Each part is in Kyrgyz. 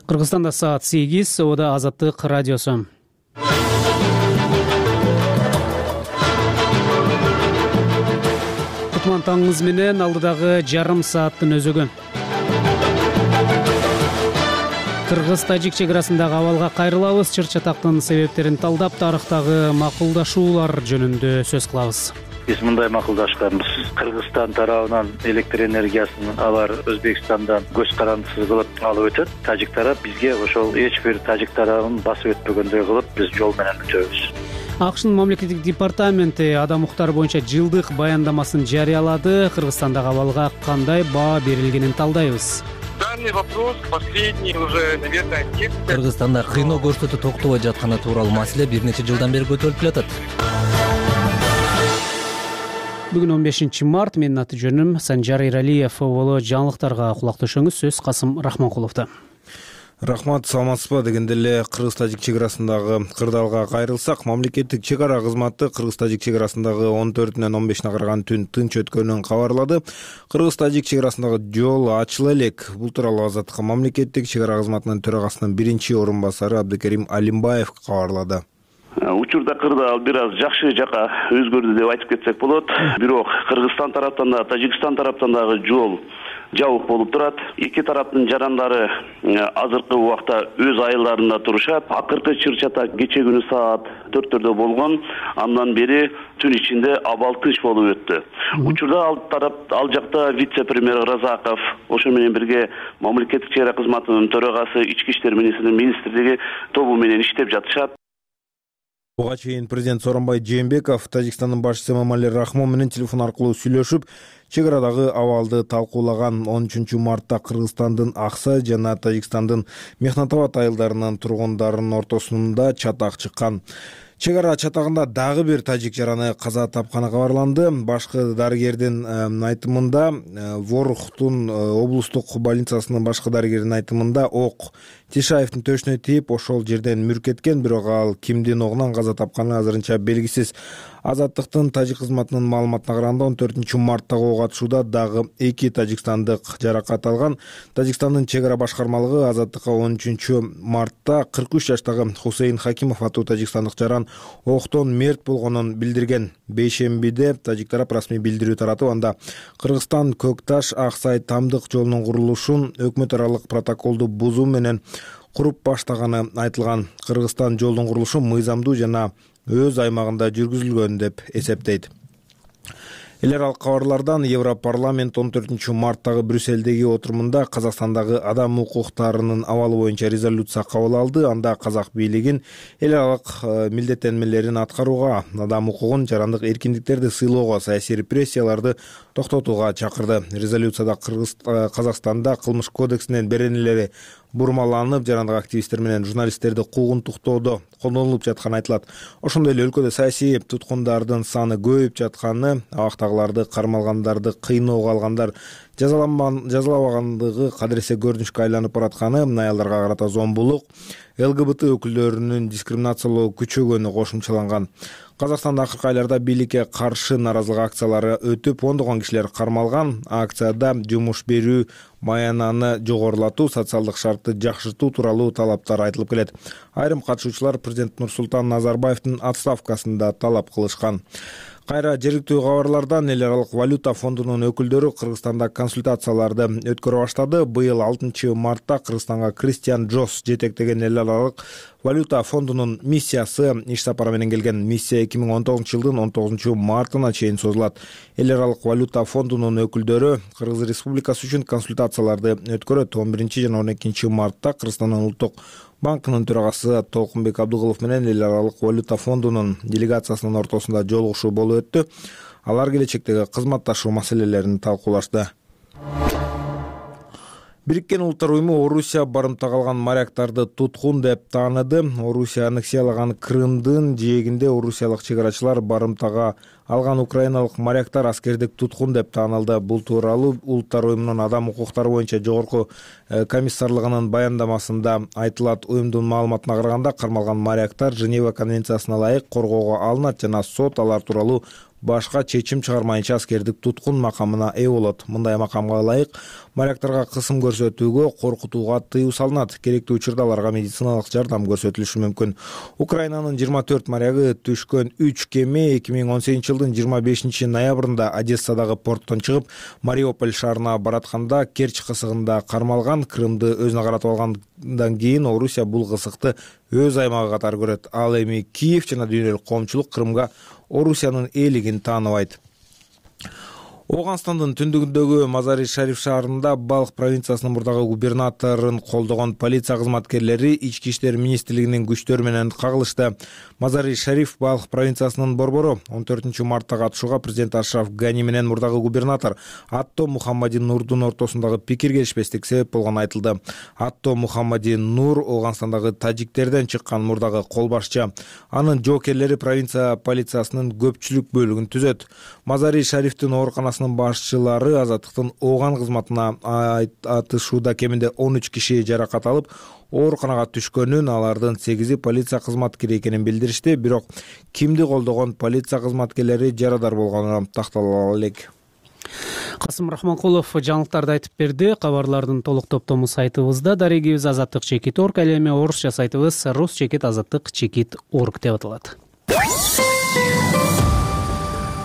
Кыргызстанда саат 8, Ода Азаттык радиосу. Кутман таңыңыз менен алдыдагы жарым сааттын өзөгү. Кыргыз-тажик чек арасындагы абалга кайрылабыз. Чыр-чатактын себептерин талдап, тарыхтагы макулдашуулар жөнүндө сөз кылабыз. Биз мындай макулдашканбыз. Кыргызстан тарабынан электр энергиясын алар Өзбекстандан көз карандысыз кылып алып өтөт. Тажик тарап бизге ошол эч бир тажик тарабын басып өтпөгөндөй кылып биз жол менен өтөбүз. АКШнын мамлекеттик департаменти адам укуктары боюнча жылдык баяндамасын жарыялады. Кыргызстандагы абалга кандай баа берилгенин талдайбыз. Данный вопрос последний уже, наверное, Кыргызстанда кыйноо көрсөтүү токтобой жатканы тууралуу маселе бир нече жылдан бери көтөрүлүп келатат. Бүгүн 15 март, менин аты жөнүм Санжар Иралиев. Боло жаңылыктарга кулак төшөңүз. Сөз Касым Рахманкуловдо. Рахмат, саламатсызбы? Дегенде эле Кыргыз-тажик чек арасындагы кырдаалга кайрылсак, мамлекеттик чек ара кызматы Кыргыз-тажик чек арасындагы 14-нен 15-ине караган түн тынч өткөнүн кабарлады. Кыргыз-тажик чек арасындагы жол ачыла элек. Бул тууралуу Азаттыкка мамлекеттик чек ара кызматынын төрагасынын биринчи орун басары Абдыкерим Алимбаев кабарлады. Учурда кырдаал бир аз жакшы жака өзгөрдү деп айтып кетсек болот. Бирок Кыргызстан тараптан да, Тажикстан тараптан дагы жол жабык болуп турат. Эки тараптын жарандары азыркы убакта өз айылдарында турушат. Акыркы чыр-чатак кече күнү саат 4-төрдө болгон. Андан бери түн ичинде абал тынч болуп өттү. Учурда ал жакта вице-премьер Разаков, ошо менен бирге мамлекеттик чек ара кызматынын төрагасы, ички иштер министрлиги тобу менен иштеп жатышат. Буга чейин президент Сооронбай Жээнбеков Тажикстандын башчысы Эмомали Рахмон менен телефон аркылуу сүйлөшүп, чек арадагы абалды талкуулаган. 13 мартта Кыргызстандын Аксай жана Тажикстандын Мехнатабад айылдарынын тургундарынын ортосунда чатак чыккан. Чек ара чатагында дагы бир тажик жараны каза тапканы кабарланды. Башкы дарыгердин айтымында, Ворохтун облустук больницасынын башкы дарыгердин айтымында, ок Тишаевдин төшүнө тийип, ошол жерден мүркеткен, бирок ал кимдин огунан каза тапканы азырынча белгисиз. Азаттыктын тажик кызматынын маалыматына караганда 14 марттагы ок атышууда дагы 2 тажикстандык жаракат алган. Тажикстандын чек ара башкармалыгы Азаттыкка 13 мартта 43 жаштагы Хусейн Хакимов аттуу тажикстандык жаран октон мерт болгонун билдирген. Бейшембиде тажик тарап расмий билдирүү таратып, анда Кыргызстан Көкташ Аксай Тамдык жолунун курулушун өкмөт аралык протоколду бузуу менен куруп баштаганы айтылган. Кыргызстан жолдун курулушу мыйзамдуу жана өз аймагында жүргүзүлгөн деп эсептейт. Эл аралык кабарлардан Европарламент 14 марттагы Брюссельдеги отурумунда Казакстандагы адам укуктарынын абалы боюнча резолюция кабыл алды. Анда казак бийлигин эл аралык милдеттенмелерин аткарууга, адам укугун, жарандык эркиндиктерди сыйлоого, саясий репрессияларды токтотууга чакырды. Резолюцияда Казакстанда кылмыш кодексинен беренелери бурмаланып, жарандык активисттер менен журналисттерди куугунтуктоодо колдонулуп жатканы айтылат. Ошондой эле өлкөдө саясий туткундардын саны көбөйүп жатканы, абактагыларды, кармалгандарды, кыйноого алгандар жазалабагандыгы кадыресе көрүнүшкө айланып баратканы, аялдарга карата зомбулук, ЛГБТ өкүлдөрүнүн дискриминациялоо күчөгөнү кошумчаланган. Казакстанда акыркы айларда бийликке каршы нааразылык акциялары өтүп, ондогон кишилер кармалган. Акцияда жумуш берүү маянаны жогорулатуу, социалдык шартты жакшыртуу тууралуу талаптар айтылып келет. Айрым катышуучулар президент Нурсултан Назарбаевдин отставкасын да талап кылышкан. Кайра жергиликтүү кабарлардан эл аралык валюта фондунун өкүлдөрү Кыргызстанда консультацияларды өткөрө баштады. Быйыл 6 мартта Кыргызстанга Кристиан Джос жетектеген эл аралык валюта фондунун миссиясы иш сапары менен келген. Миссия 2019 жылдын 19 мартына чейин созулат. Эл аралык валюта фондунун өкүлдөрү Кыргыз Республикасы үчүн консультацияларды өткөрөт. 11 жана 12 мартта Кыргызстандын улуттук банкынын төрагасы Толкунбек Абдыгулов менен эл аралык валюта фондунун делегациясынын ортосунда жолугушуу болуп өттү. Алар келечектеги кызматташуу маселелерин талкуулашты. Бириккен Улуттар уюму Орусия барымтага алган моряктарды туткун деп тааныды. Орусия аннексиялаган Крымдын жээгинде орусиялык чек арачылар барымтага алган украиналык моряктар аскердик туткун деп таанылды. Бул тууралуу Улуттар уюмунун адам укуктары боюнча жогорку комиссарлыгынын баяндамасында айтылат. Уюмдун маалыматына караганда, кармалган моряктар Женева конвенциясына ылайык коргоого алынат жана сот алар тууралуу башка чечим чыгармайынча аскердик туткун макамына ээ болот. Мындай макамга ылайык моряктарга кысым көрсөтүүгө, коркутууга тыюу салынат. Керектүү учурда аларга медициналык жардам көрсөтүлүшү мүмкүн. Украинанын 24 морягы түшкөн 3 кеме 2018 жылдын 25 ноябрында Одессадагы порттон чыгып, Мариуполь шаарына баратканда Керчь кысыгында кармалган. Крымды өзүнө каратып алгандан кийин Орусия бул кысыкты өз аймагы катары көрөт. Ал эми Киев жана дүйнөлүк коомчулук Крымга Орусиянын ээлигин тааныбайт. Ооганстандын түндүгүндөгү Мазари-Шариф шаарында Балх провинциясынын мурдагы губернаторун колдогон полиция кызматкерлери Ички иштер министрлигинин күчтөрү менен кагылышты. Мазари-Шариф Балх провинциясынын борбору 14 мартта катышууга президент Ашраф Гани менен мурдагы губернатор Атто Мухаммади Нурдун ортосундагы пикир келишпестик себеп болгону айтылды. Атто Мухаммади Нур Ооганстандагы тажиктерден чыккан мурдагы кол башчы. Анын жоокерлери провинция полициясынын көпчүлүк бөлүгүн түзөт. Мазари-Шарифтин ооруканасынын башчылары азаттыктын Ооган кызматына атышууда кеминде 13 киши жаракат алып, ооруканага түшкөнүн, алардын 8 полиция кызматкери экенин билдиришти. Бирок кимди колдогон полиция кызматкерлери жарадар болгону такталган элек. Касым Рахманкулов жаңылыктарды айтып берди. Кабарлардын толук топтому сайтыбызда, дарегибиз azatlyk.org, ал эми орусча сайтыбыз rus.azatlyk.org деп аталат.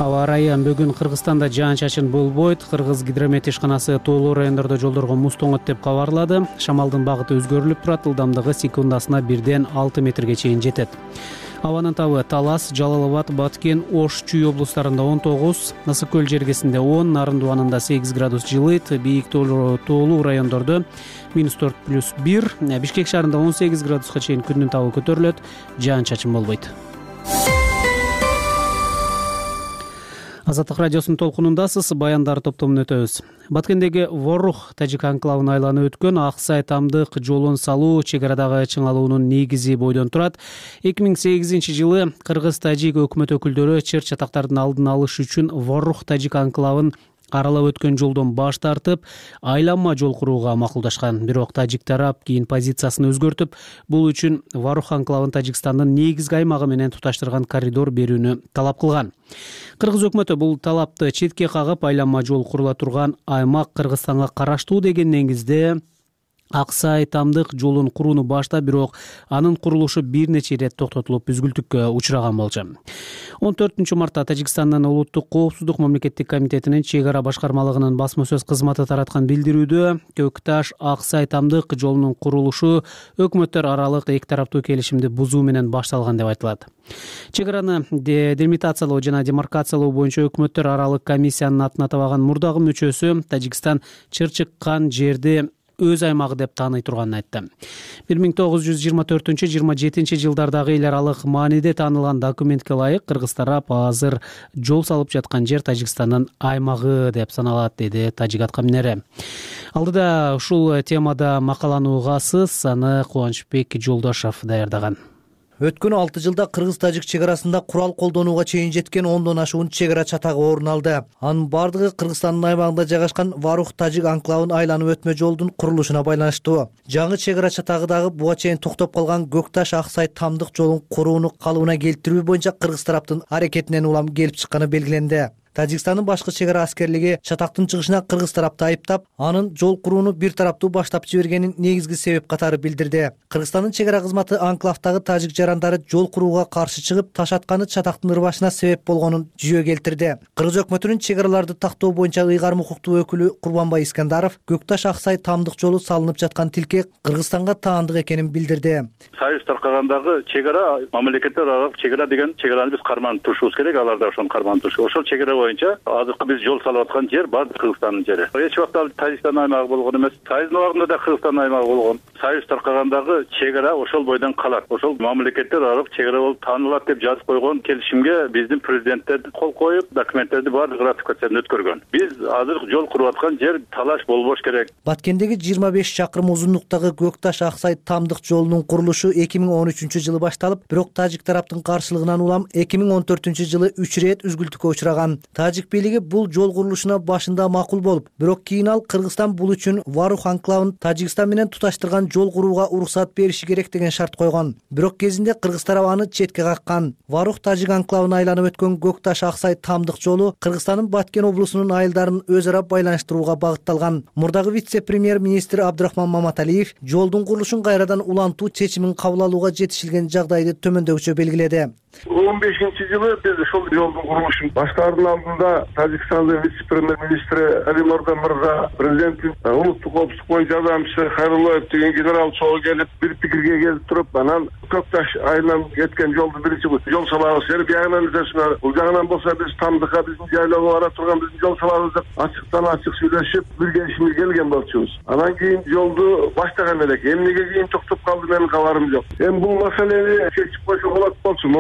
Аба ырайы бүгүн Кыргызстанда жаан-чачын болбойт. Кыргыз гидромет ишканасы тоолуу райондордо жолдорго муз тоңот деп кабарлады. Шамалдын багыты өзгөрүлүп турат, ылдамдыгы секундасына 1-ден 6 метрге чейин жетет. Абанын табы Талас, Жалал Абад, Баткен, Ош, Чүй облустарында 19, Ысык көл жергесинде 10, Нарын дубанында 8 градус жылыйт, бийик тоолуу райондордо -4+1, Бишкек шаарында 18 градуска чейин күндүн табы көтөрүлөт, жаан-чачын болбойт. Азаттык радиосунун толкунундасыз, баяндар топтомун өтөбүз. Баткендеги Ворух тажик анклавын айланып өткөн Аксай Тамдык жолун салуу чек арадагы чыңалуунун негизи бойдон турат. 2008 жылы кыргыз-тажик өкмөт өкүлдөрү чыр чатактардын алдын алыш үчүн Ворух тажик анклавын аралап өткөн жолдон баш тартып, айланма жол курууга макулдашкан. Бирок тажик тарап кийин позициясын өзгөртүп, бул үчүн Ворух анклавын Тажикстандын негизги аймагы менен туташтырган коридор берүүнү талап кылган. Кыргыз өкмөтү бул талапты четке кагып, айланма жол курула турган аймак Кыргызстанга караштуу деген негизде Аксай Тамдык жолун курууну баштап, бирок анын курулушу бир нече ирет токтотулуп, үзгүлтүккө учураган болчу. 14 мартта Тажикстандын Улуттук коопсуздук мамлекеттик комитетинин чек ара башкармалыгынын басма сөз кызматы тараткан билдирүүдө Көкташ Аксай Тамдык жолунун курулушу өкмөттөр аралык эки тараптуу келишимди бузуу менен башталган деп айтылат. Чек араны делимитациялоо жана демаркациялоо боюнча өкмөттөр аралык комиссиянын атына табаган мурдагы мүчөсү Тажикстан чыр чыккан жерди өз аймагы деп тааный турганын айтты. 1924-27 жылдардагы эл аралык мааниде таанылган документке ылайык Кыргыз тарап азыр жол салып жаткан жер Тажикстандын аймагы деп саналат, деди тажик аткаминери. Алдыда ушул темада макаланы угасыз, аны Кубанычбек Жолдошов даярдаган. Өткөн 6 жылда кыргыз-тажик чек арасында курал колдонууга чейин жеткен 10дон ашуун чек ара чатагы орун алды. Анын бардыгы Кыргызстандын аймагында жайгашкан Ворух тажик анклавын айланып өтмө жолдун курулушуна байланыштуу. Жаңы чек ара чатагы дагы буга чейин токтоп калган Көкташ Аксай Тамдык жолун курууну калыбына келтирүү боюнча кыргыз тараптын аракетинен улам келип чыкканы белгиленди. Тажикстандын башкы чек ара аскерлиги чатактын чыгышына кыргыз тарапты айыптап, анын жол курууну бир тараптуу баштап жибергенин негизги себеп катары билдирди. Кыргызстандын чек ара кызматы анклавдагы тажик жарандары жол курууга каршы чыгып, таш атканы чатактын ырбашына себеп болгонун жүйө келтирди. Кыргыз өкмөтүнүн чек араларды тактоо боюнча ыйгарым укуктуу өкүлү Курбанбай Искандаров Көкташ Аксай Тамдык жолу салынып жаткан тилке Кыргызстанга таандык экенин билдирди. Союз таркагандагы чек ара мамлекеттер аралык чек ара деген чек араны биз карманып турушубуз керек, алар да ошону карманып турушу. Ошол чек ара боюнча азыркы биз жол салып аткан жер баардык Кыргызстандын жери. Эч убакта Тажикстандын аймагы болгон эмес. Союздун убагында да Кыргызстандын аймагы болгон. Союз таркагандагы чек ара ошол бойдон калат. Ошол мамлекеттер аралык чек ара болуп таанылат деп жазып койгон келишимге биздин президенттер кол коюп, документтерди баардык ратификациядан өткөргөн. Биз азыр жол куруп аткан жер талаш болбош керек. Баткендеги 25 чакырым узундуктагы Көкташ Аксай Тамдык жолунун курулушу 2013-жылы башталып, бирок тажик тараптын каршылыгынан улам 2014-жылы 3 ирет үзгүлтүккө учураган. Тажик бийлиги бул жол курулушуна башында макул болуп, бирок кийин ал Кыргызстан бул үчүн Ворух анклавын Тажикстан менен туташтырган жол курууга уруксат бериши керек деген шарт койгон. Бирок кезинде Кыргыз тарабы аны четке каккан. Варух тажик анклавын айланып өткөн Көкташ Аксай Тамдык жолу Кыргызстандын Баткен облусунун айылдарын өз ара байланыштырууга багытталган. Мурдагы вице-премьер-министр Абдырахман Маматалиев жолдун курулушун кайрадан улантуу чечимин кабыл алууга жетишилген жагдайды төмөндөгүчө белгиледи. 15-жылы биз ошол жолдун курулушун баштаардын алдында Тажикстандын вице-премьер-министри Али Мордан мырза, президенттин улуттук коопсуздук боюнча жардамчысы Хайруллаев деген генерал чогуу келип бир пикирге келип туруп, анан Көкташ айылынан кеткен жолду биринчи жол салабыз. Биягынан изесине, бул жагынан болсо биз Тамдыкка биздин жайлоого бара турган биздин жол салабыз деп ачыктан ачык сүйлөшүп, бир келишимге келген болчубуз. Анан кийин жолду баштаган элек. Эмнеге кийин токтоп калды менин кабарым жок. Эми бул маселени чечип койсо болот болчу.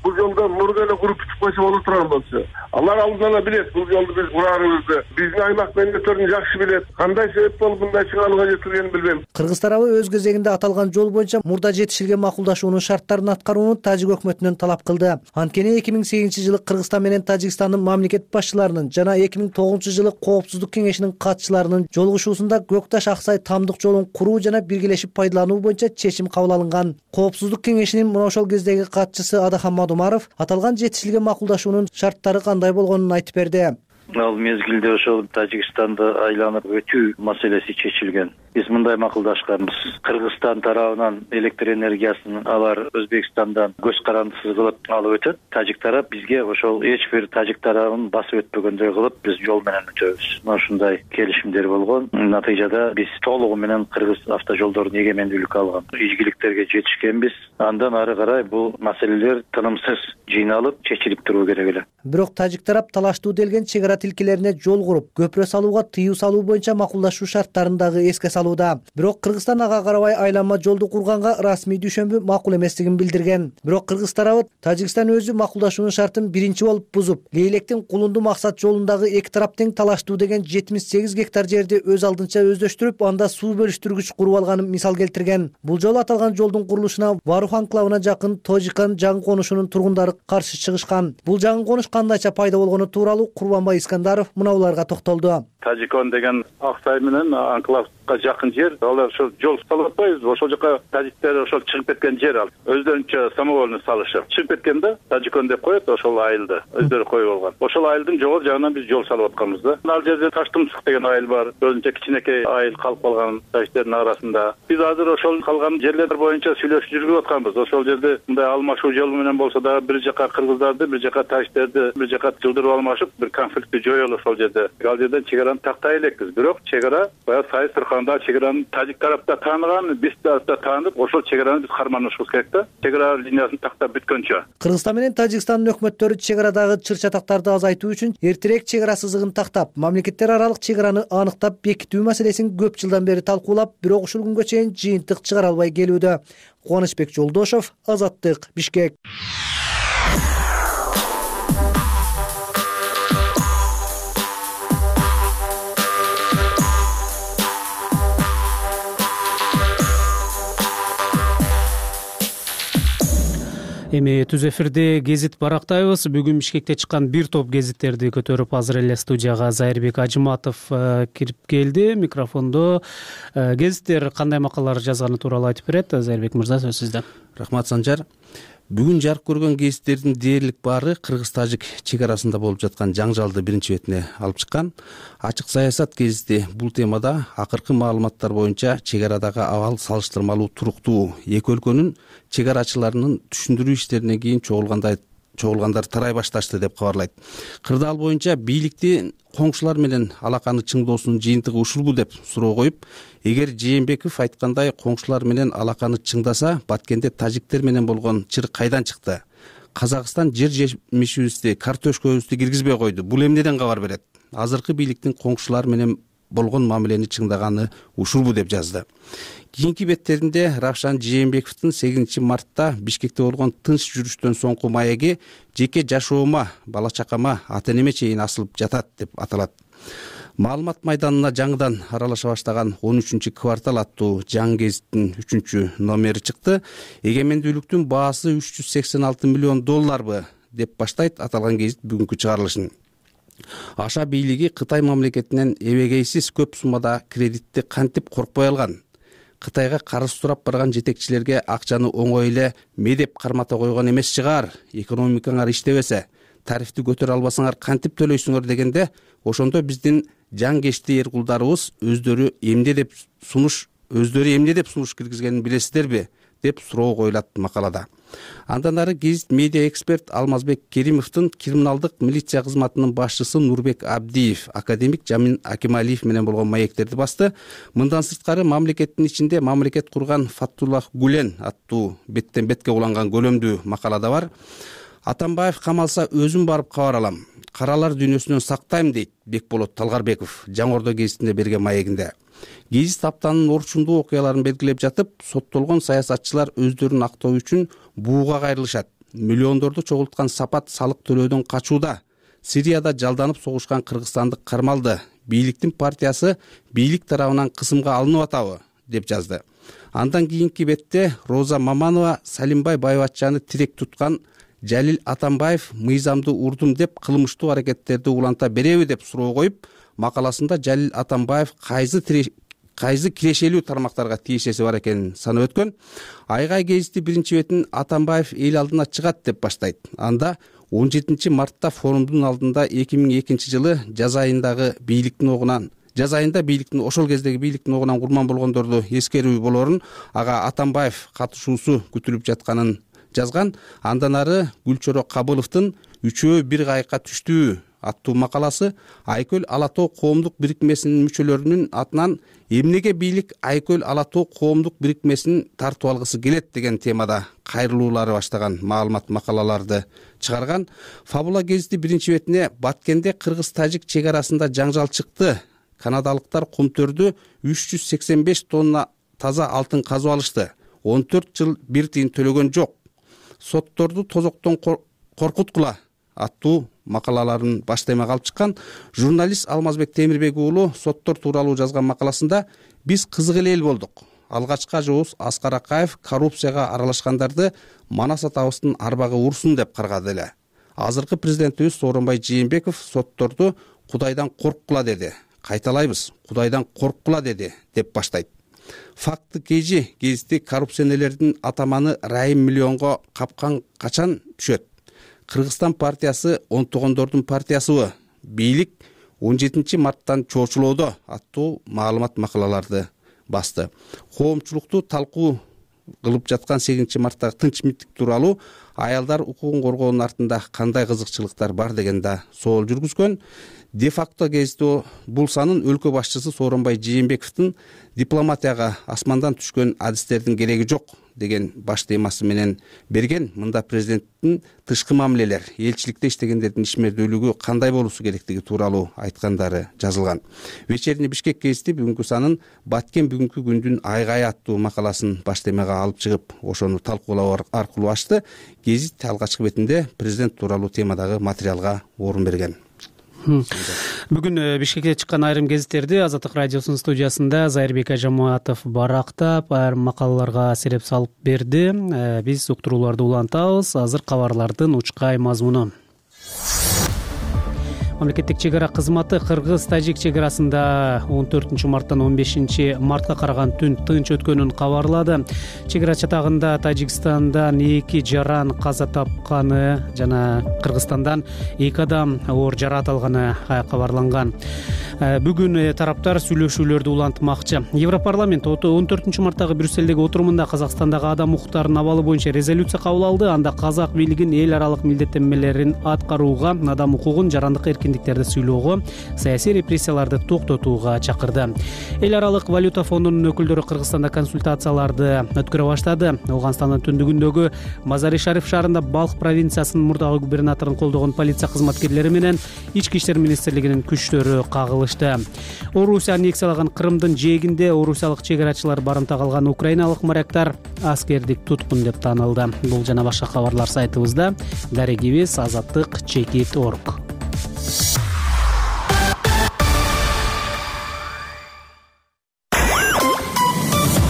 Бул жолдо мурда эле куруп бүтүп койсо боло турган болчу. Алар алдынан эле билет бул жолду биз кураарыбызды. Биздин аймак мамлекеттерин жакшы билет. Кандай себеп болуп мындай чыгарууга жетилгенин билбейм. Кыргыз тарабы өз кезегинде аталган жол боюнча мурда жетишилген макулдашуунун шарттарын аткарууну Тажик өкмөтүнөн талап кылды. Анткени 2008-жылы Кыргызстан менен Тажикстандын мамлекет башчыларынын жана 2009-жылы Коопсуздук кеңешинин катчыларынын жолугушуусунда Көкташ Аксай Тамдык жолун куруу жана биргелешип пайдалануу боюнча чечим кабыл алынган. Коопсуздук кеңешинин мына ошол кездеги катчысы Адахан Мадумаров аталган жетишилген макулдашуунун шарттары кандай болгонун айтып берди. Ал мезгилде ошол Тажикстанды айланып өтүү маселеси чечилген. Биз мындай макулдашканбыз. Кыргызстан тарабынан электр энергиясын алар Өзбекстандан көз карандысыз кылып алып өтөт. Тажик тарап бизге ошол эч бир Тажик тарабын басып өтпөгөндөй кылып биз жол менен өтөбүз. Ушундай келишимдер болгон. Натыйжада биз толугу менен Кыргыз автожолдорун эгемендүүлүккө алган. Ийгиликтерге жетишкенбиз. Андан ары карай бул маселелер тынымсыз жыйналып чечилип туруу керек эле. Бирок Тажик тарап талаштуу делген чек ара тилкелерине жол куруп, көпүрө салууга тыюу салуу боюнча макулдашуу шарттарын дагы эске салууда. Бирок Кыргызстан ага карабай айланма жолду курганга расмий düşөмбү макул эместигин билдирген. Бирок Кыргыз тарабы Тажикстан өзү макулдашуунун шартын биринчи болуп бузуп, Лейлектин Кулунду максат жолундагы эки тарап тең талаштуу деген 78 гектар жерди өз алдынча өздөштүрүп, анда суу бөлүштүргүч куруп алганын мисал келтирген. Бул жолу аталган жолдун курулушуна Варух анклавына жакын Тожикан жаңы конушунун тургундары каршы чыгышкан. Бул жаңы конуш кандайча пайда болгону тууралуу Курбанбай Искандаров мынауларга токтолду. Тажикон деген Аксай менен анклавга жакын жер. Алар ошол жол салып атпайбыз. Ошол жака тажиктер ошол чыгып кеткен жер ал. Өздөрүнчө самовольный салышып чыгып кеткенде Тажикон деп коет ошол айылды. Өздөрү коюп алган. Ошол айылдын жогору жагынан биз жол салып атканбыз да. Ал жерде Таштымсык деген айыл бар. Өзүнчө кичинекей айыл калып калган тажиктердин арасында. Биз азыр ошол калган жерлер боюнча сүйлөшүп жүргүп атканбыз. Ошол жерде мындай алмашуу жолу менен болсо дагы бир жака кыргыздарды, бир жака тажиктерди бир жака жылдырып алмашып, бир конфликтти жоёлу ошол жерде. Ал жерден чек араны тактай элекпиз. Бирок чек ара баягы Сайыс Тырканда чек араны Тажик тарапта тааныган, биз тарапта таанып, ошол чек араны биз карманышыбыз керек да. Чек ара линиясын тактап бүткөнчө. Кыргызстан менен Тажикстандын өкмөттөрү чек арадагы чыр-чатактарды азайтуу үчүн эртерээк чек ара сызыгын тактап, мамлекеттер аралык чек араны аныктап бекитүү маселесин көп жылдан бери талкуулап, бирок ушул күнгө чейин жыйынтык чыгара албай келүүдө. Кубанычбек Жолдошов, Азаттык, Бишкек. Эми түз эфирде гезит барактайбыз. Бүгүн Бишкекте чыккан бир топ гезиттерди көтөрүп азыр эле студияга Зайырбек Ажыматов кирип келди. Микрофондо гезиттер кандай макалалар жазганы тууралуу айтып берет. Зайырбек мырза, сөз сизде. Рахмат, Санжар. Бүгүн жарык көргөн гезиттердин дээрлик баары Кыргыз-Тажик чек арасында болуп жаткан жаңжалды биринчи бетине алып чыккан. Ачык саясат гезити бул темада акыркы маалыматтар боюнча чек арадагы абал салыштырмалуу туруктуу. Эки өлкөнүн чек арачыларынын түшүндүрүү иштеринен кийин чогулгандар тарай башташты деп кабарлайт. Кырдаал боюнча бийликти коңшулар менен алаканы чыңдоосунун жыйынтыгы ушулбу деп суроо коюп, эгер Жээнбеков айткандай коңшулар менен алаканы чыңдаса, Баткенде тажиктер менен болгон чыр кайдан чыкты? Казакстан жер жемишибизди, картошкабызды киргизбей койду. Бул эмнеден кабар берет? Азыркы бийликтин коңшулар менен болгон мамилени чыңдаганы ушулбу деп жазды. Кийинки беттеринде Равшан Жээнбековдун 8 мартта Бишкекте болгон тынч жүрүштөн соңку маеги жеке жашоома, бала чакама, ата-энеме чейин асылып жатат деп аталат. Маалымат майданына жаңыдан аралаша баштаган 13-квартал аттуу жаңы гезиттин 3-номери чыкты. Эгемендүүлүктүн баасы $386 миллион деп баштайт аталган гезит бүгүнкү чыгарылышын. Аша бийлиги Кытай мамлекетинен эбегейсиз көп суммада кредитти кантип коркпой алган? Кытайга карыз сурап барган жетекчилерге акчаны оңой эле медеп кармата койгон эмес чыгар. Экономикаңар иштебесе, тарифти көтөрө албасаңар кантип төлөйсүңөр дегенде, ошондо биздин жаңкешти эр кулдарыбыз өздөрү эмне деп сунуш киргизгенин билесиздерби деп суроо коюлат макалада. Андан ары гезит медиа эксперт Алмазбек Керимовдун криминалдык милиция кызматынын башчысы Нурбек Абдиев академик Жамин Акималиев менен болгон маектерди басты. Мындан сырткары мамлекеттин ичинде мамлекет курган Фаттуллах Гулен аттуу беттен бетке уланган көлөмдүү макалада бар. Атамбаев камалса өзүм барып кабар алам. Каралар дүйнөсүнөн сактайм дейт Бекболот Талгарбеков Жаңы Ордо гезитине берген маегинде. Гезит аптанын орчундуу окуяларын белгилеп жатып, соттолгон саясатчылар өздөрүн актоо үчүн бууга кайрылышат. Миллиондорду чогулткан Сапат салык төлөөдөн качууда. Сирияда жалданып согушкан кыргызстандык кармалды. Бийликтин партиясы бийлик тарабынан кысымга алынып атабы деп жазды. Андан кийинки бетте Роза Маманова Салимбай Байбатчаны тирек туткан Жалил Атамбаев мыйзамды урдум деп кылмыштуу аракеттерди уланта береби деп суроо коюп, макаласында Жалил Атамбаев кайсы кирешелүү тармактарга тиешеси бар экенин санап өткөн. Айгай гезити биринчи бетин Атамбаев эл алдына чыгат деп баштайт. Анда 17 мартта форумдун алдында 2002 жылы жаз айында бийликтин ошол кездеги бийликтин огунан курман болгондорду эскерүү болорун, ага Атамбаев катышуусу күтүлүп жатканын жазган. Андан ары Гүлчөрө Кабыловдун «Үчөө бир кайыкка түштүү» аттуу макаласы Айкөл Ала Тоо коомдук бирикмесинин мүчөлөрүнүн атынан эмнеге бийлик Айкөл Ала Тоо коомдук бирикмесин тартып алгысы келет деген темада кайрылуулары баштаган маалымат макалаларды чыгарган. Фабула гезити биринчи бетине Баткенде кыргыз-тажик чек арасында жаңжал чыкты. Канадалыктар кумтөрдү 385 тонна таза алтын казып алышты. 14 жыл бир тыйын төлөгөн жок. Сотторду тозоктон коркуткула аттуу макалаларын баш темага алып чыккан журналист Алмазбек Темирбек уулу соттор тууралуу жазган макаласында биз кызык эле эл болдук. Алгачкы ажыбыз Аскар Акаев коррупцияга аралашкандарды Манас атабыздын арбагы урсун деп каргады эле. Азыркы президентибиз Сооронбай Жээнбеков сотторду Кудайдан корккула деди. Кайталайбыз, Кудайдан корккула деди деп баштайт. Факты кежи гезити коррупционерлердин атаманы Райым Миллионго капкан качан түшөт? Кыргызстан партиясы онтогондордун партиясыбы? Бийлик 17 марттан чоочулоодо аттуу маалымат макалаларды басты. Коомчулукту талкуу кылып жаткан 8 марттагы тынчмиттик тууралуу аялдар укугун коргоонун артында кандай кызыкчылыктар бар деген да соол жүргүзгөн. Де-факто гезити бул санын өлкө башчысы Сооронбай Жээнбековдун дипломатияга асмандан түшкөн адистердин кереги жок деген баш темасы менен берген. Мында президенттин тышкы мамилелер, элчиликте иштегендердин ишмердүүлүгү кандай болуусу керектиги тууралуу айткандары жазылган. Вечерний Бишкек гезити бүгүнкү санын Баткен бүгүнкү күндүн айгайы аттуу макаласын баш темага алып чыгып, ошону талкуулоо аркылуу ачты. Гезит алгачкы бетинде президент тууралуу темадагы материалга орун берген. Бүгүн Бишкекте чыккан айрым гезиттерди Азаттык радиосунун студиясында Зайырбек Ажаматов барактап, айрым макалаларга сереп салып берди. Биз уктурууларды улантабыз. Азыр кабарлардын учкай мазмуну. Мамлекеттик чек ара кызматы кыргыз-тажик чек арасында 14 марттан 15 мартка караган түн тынч өткөнүн кабарлады. Чек ара чатагында Тажикстандан 2 жаран каза тапканы жана Кыргызстандан 2 адам оор жаракат алганы кабарланган. Бүгүн тараптар сүйлөшүүлөрдү улантмакчы. Европарламент 14 марттагы Брюссельдеги отурумунда Казакстандагы адам укуктарынын абалы боюнча резолюция кабыл алды. Анда казак бийлигин эл аралык милдеттенмелерин аткарууга, адам укугун, жарандык эркиндиктерди сыйлоого, саясий репрессияларды токтотууга чакырды. Эл аралык валюта фондунун өкүлдөрү Кыргызстанда консультацияларды өткөрө баштады. Ауганстандын түндүгүндөгү Мазари-Шариф шаарында Балх провинциясынын мурдагы губернаторун колдогон полиция кызматкерлери менен Ички иштер министрлигинин күчтөрү кагылышты. Орусия аннексиялаган Крымдын жээгинде орусиялык чек арачылар барымта калган украиналык моряктар аскердик туткун деп таанылды. Бул жана башка кабарлар сайтыбызда. Дарегибиз azattik.org.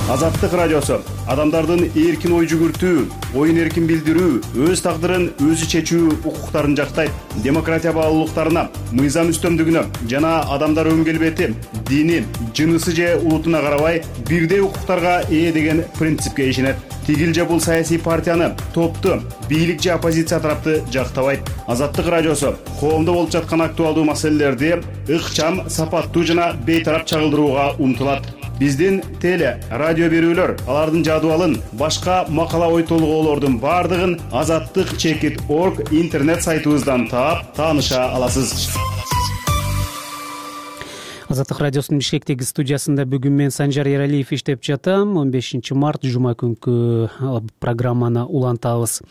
Азаттык радиосу адамдардын эркин ой жүгүртүү, оюн эркин билдирүү, өз тагдырын өзү чечүү укуктарын жактайт. Демократия баалуулуктарына, мыйзам үстөмдүгүнө жана адамдар өн келбети, дини, жынысы же улутуна карабай бирдей укуктарга ээ деген принципке ишенет. Тигил же бул саясий партияны, топту, бийлик же оппозиция тарапты жактабайт. Азаттык радиосу коомдо болуп жаткан актуалдуу маселелерди ыкчам, сапаттуу жана бейтарап чагылдырууга умтулат. Биздин теле, радио берүүлөр, алардын жадыбалын, башка макала ой толгоолордун бардыгын azattik.org интернет сайтыбыздан таап, тааныша аласыз. Азаттык радиосунун Бишкектеги студиясында бүгүн мен Санжар Эралиев иштеп жатам. 15 март жума күнкү программаны улантабыз.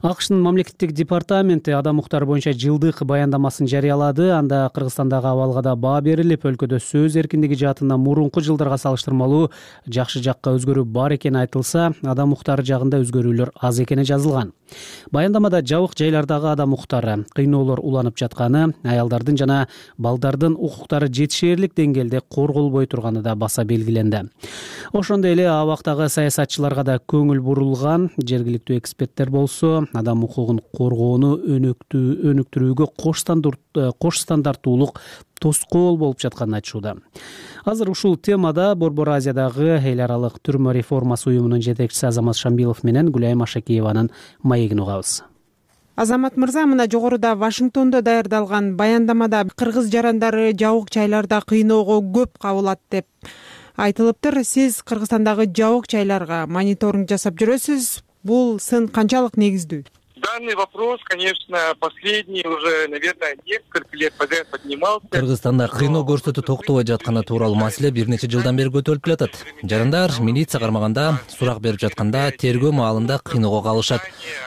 АКШтын мамлекеттик департаменти адам укуктары боюнча жылдык баяндамасын жарыялады. Анда Кыргызстандагы абалга да баа берилип, өлкөдө сөз эркиндиги жаатында мурунку жылдарга салыштырмалуу жакшы жакка өзгөрүү бар экени айтылса, адам укуктары жагында өзгөрүүлөр аз экени жазылган. Баяндамада жабык жайлардагы адам укуктары, кыйноолор уланып жатканы, аялдардын жана балдардын укуктары жетишээрлик деңгээлде корголбой турганы да баса белгиленди. Ошондой эле абактагы саясатчыларга да көңүл бурулган. Жергиликтүү эксперттер болсо адам укугун коргоону өнүктүрүүгө кош стандарттуулук тоскоол болуп жатканын айтышууда. Азыр ушул темада Борбор Азиядагы эл аралык түрмө реформасы уюмунун жетекчиси Азамат Шамбилов менен Гүлайым Ашакиеванын маегин угабыз. Азамат мырза, мына жогоруда Вашингтондо даярдалган баяндамада кыргыз жарандары жабык жайларда кыйноого көп кабылат деп айтылыптыр. Сиз Кыргызстандагы жабык жайларга мониторинг жасап жүрөсүз. Бул сын канчалык негиздүү? Данный вопрос, конечно, последний уже, наверное, несколько лет подряд поднимался. Кыргызстанда кыйноо көрсөтүү токтобой жатканы тууралуу маселе бир нече жылдан бери көтөрүлүп келатат. Жарандар милиция кармаганда, сурак берип жатканда, тергөө маалында кыйноого калышат.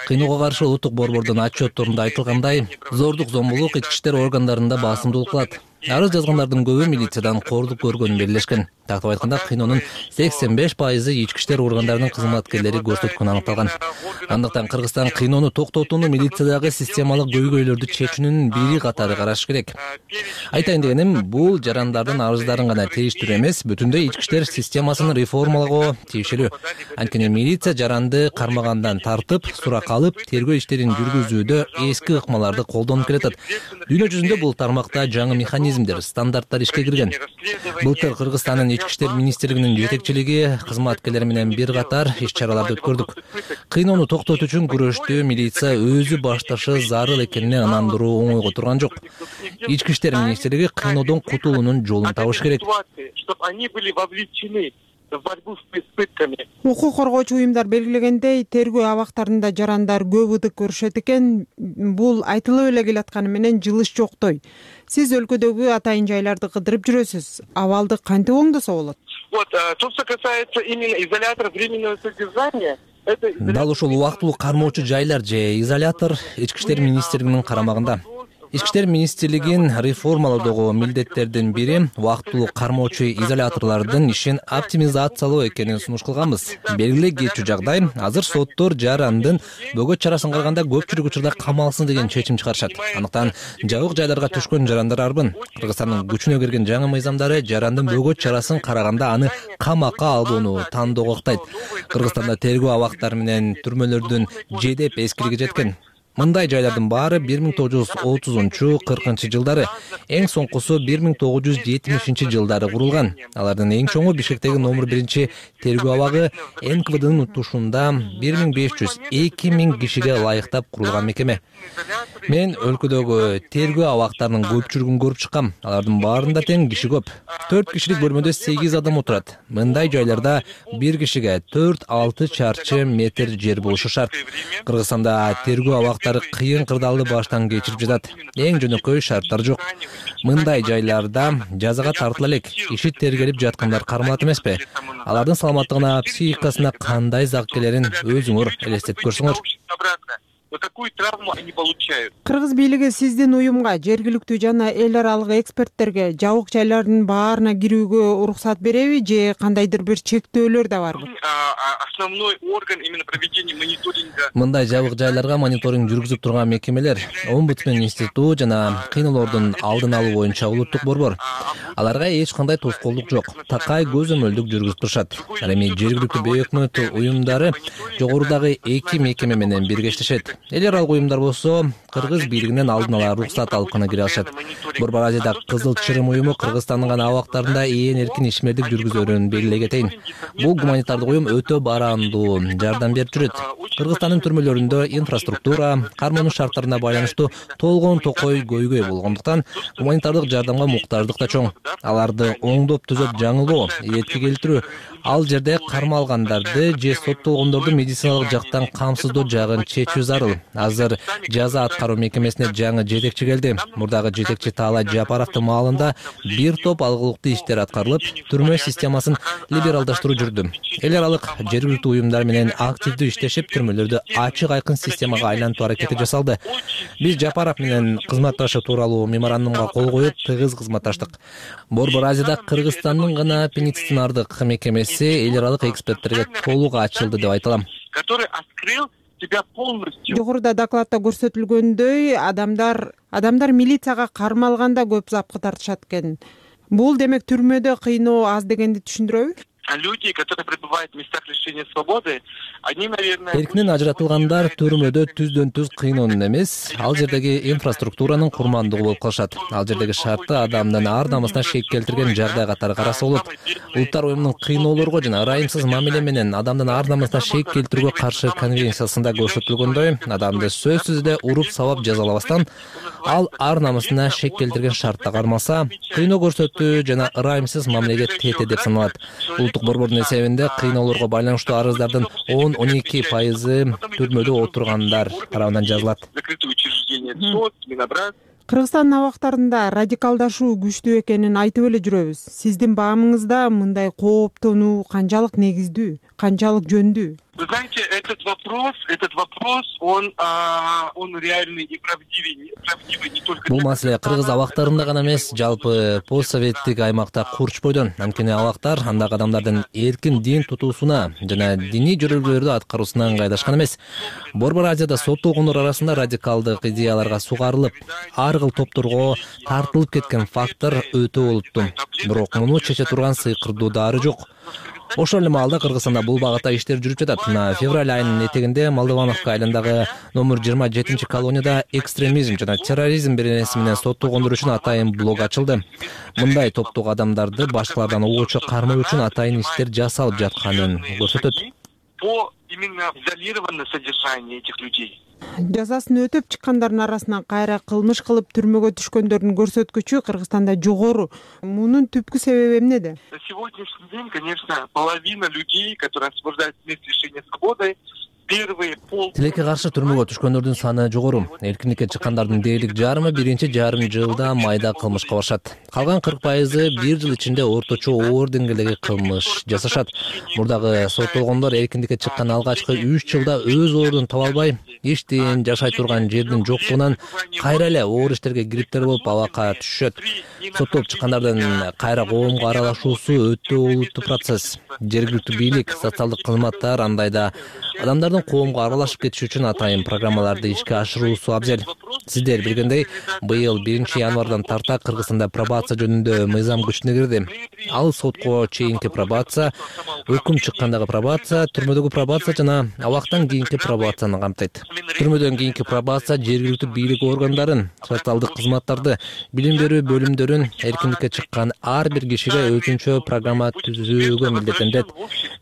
Кыйноого каршы улуттук борбордун отчетторунда айтылгандай, зордук, зомбулук ички иштер органдарында басымдуулук кылат. Арыз жазгандардын көбү милициядан кордук көргөнүн белгилешкен. Тактап айтканда, кыйноонун 85% ички иштер органдарынын кызматкерлери көрсөткөнү аныкталган. Андыктан Кыргызстан кыйноону токтотууну милициядагы системалык көйгөйлөрдү чечүүнүн бири катары караш керек. Айтайын дегеним, бул жарандардын арыздарын гана тийиштирүү эмес, бүтүндөй ички иштер системасын реформалагоо тийиштүү. Анткени милиция жаранды кармагандан тартып, сурак алып, тергөө иштерин жүргүзүүдө эски ыкмаларды колдонуп келатат. Дүйнө жүзүндө бул тармакта жаңы механизмдер, стандарттар ишке кирген. Былтыр Кыргызстандын ички иштер министрлигинин жетекчилиги кызматкерлери менен бир катар иш-чараларды өткөрдүк. Кыйноону токтотуу үчүн күрөштү милиция өзү башташы зарыл экенине ынандыруу оңойго турган жок. Ички иштер министрлиги кыйноодон кутулуунун жолун табыш керек. Укук коргоочу уюмдар белгилегендей, тергөө абактарында жарандар көп ыдык көрүшөт экен. Бул айтылып эле келатканы менен жылыш жоктой. Сиз өлкөдөгү атайын жайларды кыдырып жүрөсүз. Абалды кантип оңдосо болот? То, что касается именно изолятора временного содержания, дал ушул убактылуу кармоочу жайлар же изолятор ички иштер министрлигинин карамагында. Ички иштер министрлигин реформалоодогу милдеттердин бири убактылуу кармоочу изоляторлордун ишин оптимизациялоо экенин сунуш кылганбыз. Белгилүү кетчү жагдай, азыр соттор жарандын бөгөт чарасын караганда көпчүлүк учурда камалсын деген чечим чыгарышат. Андыктан жабык жайларга түшкөн жарандар арбын. Кыргызстандын күчүнө кирген жаңы мыйзамдары жарандын бөгөт чарасын караганда аны камакка албоону тандоого ыктайт. Кыргызстанда тергөө абактары менен түрмөлөрдүн жедеп эскилиги жеткен. Мындай жайлардын баары 1930-40 жылдары, эң соңкусу 1970 жылдары курулган. Алардын эң чоңу Бишкектеги номер 1 тергөө абагы НКВДнын утушунда 1500-2000 кишиге ылайыктап курулган мекеме. Мен өлкөдөгү тергөө абактарынын көпчүлүгүн көрүп чыккам. Алардын баарында тең киши көп. 4 кишилик бөлмөдө 8 адам отурат. Мындай жайларда бир кишиге 4-6 чарчы метр жер болушу шарт. Кыргызстанда тергөө абактары кыйын кырдаалды баштан кечирип жатат. Эң жөнөкөй шарттар жок. Мындай жайларда жазага тартыла элек, иши тергелип жаткандар кармалат эмеспи? Алардын саламаттыгына, психикасына кандай зак келерин өзүңөр элестетип көрсөңөр. вот такую травму они получают. Кыргыз бийлиги сиздин уюмга, жергиликтүү жана эл аралык эксперттерге жабык жайлардын баарына кирүүгө уруксат береби же кандайдыр бир чектөөлөр да барбы? Основной орган именно проведения мониторинга. Мындай жабык жайларга мониторинг жүргүзүп турган мекемелер Омбудсмен институту жана кыйноолордун алдын алуу боюнча улуттук борбор. Аларга эч кандай тоскоолдук жок. Такай көзөмөлдүк жүргүзүп турушат. Ал эми жергиликтүү бейөкмөт уюмдары жогорудагы эки мекеме менен бирге иштешет. Эл аралык уюмдар болсо кыргыз бийлигинен алдын ала уруксат алып гана кире алышат. Борбор Азияда Кызыл Чырым уюму Кыргызстандын гана абактарында ээн эркин ишмердик жүргүзөрүн белгилей кетейин. Бул гуманитардык уюм өтө барамдуу жардам берип жүрөт. Кыргызстандын түрмөлөрүндө инфраструктура, кармануу шарттарына байланыштуу толгон токой көйгөй болгондуктан гуманитардык жардамга муктаждык да чоң. Аларды оңдоп түзөп жаңылоо, ийетке келтирүү, ал жерде кармалгандарды же соттолгондорду медициналык жактан камсыздоо жагын чечүү зарыл. Азыр жаза аткаруу мекемесине жаңы жетекчи келди. Мурдагы жетекчи Таалай Жапаровдун маалында бир топ алгылыктуу иштер аткарылып, түрмө системасын либералдаштыруу жүрдү. Эл аралык жергиликтүү уюмдар менен активдүү иштешип, түрмөлөрдү ачык айкын системага айлантуу аракети жасалды. Биз Жапаров менен кызматташуу тууралуу меморандумга кол коюп, тыгыз кызматташтык. Борбор Азияда Кыргызстандын гана пенитенциардык мекемеси эл аралык эксперттерге толук ачылды деп айта алам. Который открыл тебя полностью. Жогоруда докладта көрсөтүлгөндөй, адамдар милицияга кармалганда көп запкы тартышат экен. Бул демек түрмөдө кыйноо аз дегенди түшүндүрөбү? Люди, которые пребывают в местах лишения свободы, они, наверное... Эркинен ажыратылгандар түрмөдө түздөн түз кыйноонун эмес, ал жердеги инфраструктуранын курмандыгы болуп калышат. Ал жердеги шартты адамдын ар намысына шек келтирген жагдай катары караса болот. Улуттар уюмунун кыйноолорго жана ырайымсыз мамиле менен адамдын ар намысына шек келтирүүгө каршы конвенциясында көрсөтүлгөндөй, адамды сөзсүз эле уруп сабап жазалабастан, ал ар намысына шек келтирген шартта кармалса, кыйноо көрсөтүү жана ырайымсыз мамилеге тете деп саналат. Борбордун эсебинде кыйноолорго байланыштуу арыздардын 10-12% түрмөдө отургандар тарабынан жазылат. Кыргызстандын абактарында радикалдашуу күчтүү экенин айтып эле жүрөбүз. Сиздин баамыңызда мындай кооптонуу канчалык негиздүү, канчалык жөндүү? Вы знаете, этот вопрос, он реальный и правдивый не только... Бул маселе кыргыз абактарында гана эмес, жалпы постсоветтик аймакта курч бойдон. Анткени абактар андагы адамдардын эркин дин тутуусуна жана диний жөрөлгөлөрдү аткаруусуна ыңгайлашкан эмес. Борбор Азияда соттолгондор арасында радикалдык идеяларга сугарылып, ар кыл топторго тартылып кеткен фактор өтө болупту. Бирок муну чече турган сыйкырдуу дары жок. Ошол эле маалда Кыргызстанда бул багытта иштер жүрүп жатат. Февраль айынын этегинде Молдовановка айылындагы номер 27 колонияда экстремизм жана терроризм беренеси менен соттолгондор үчүн атайын блог ачылды. Мындай топтогу адамдарды башкалардан угуучу кармоо үчүн атайын иштер жасалып жатканын көрсөтөт. По именно изолированное содержание этих людей. Жазасын өтөп чыккандардын арасынан кайра кылмыш кылып түрмөгө түшкөндөрдүн көрсөткүчү Кыргызстанда жогору. Мунун түпкү себеби эмнеде? На сегодняшний день, конечно, половина людей, которые освобождаются с мест лишения свободы, Тилекке каршы түрмөгө түшкөндөрдүн саны жогору. Эркиндикке чыккандардын дээрлик жарымы биринчи жарым жылда майда кылмышка барышат. Калган 40% бир жыл ичинде орточо оор деңгээлдеги кылмыш жасашат. Мурдагы соттолгондор эркиндикке чыккан алгачкы 3 жылда өз ордун таба албай, иштин, жашай турган жердин жоктугунан кайра эле оор иштерге кириптер болуп абакка түшүшөт. Соттолуп чыккандардын кайра коомго аралашуусу өтө олуттуу процесс. Жергиликтүү бийлик, социалдык кызматтар андайда адамдардын коомго аралашып кетиши үчүн атайын программаларды ишке ашыруусу абзел. Сиздер билгендей, быйыл 1-январдан тарта Кыргызстанда пробация жөнүндө мыйзам күчүнө кирди. Ал сотко чейинки пробация, өкүм чыккандагы пробация, түрмөдөгү пробация жана абактан кийинки пробацияны камтыйт. Түрмөдөн кийинки пробация жергиликтүү бийлик органдарын, социалдык кызматтарды, билим берүү бөлүмдөрүн эркиндикке чыккан ар бир кишиге өзүнчө программа түзүүгө милдеттенет.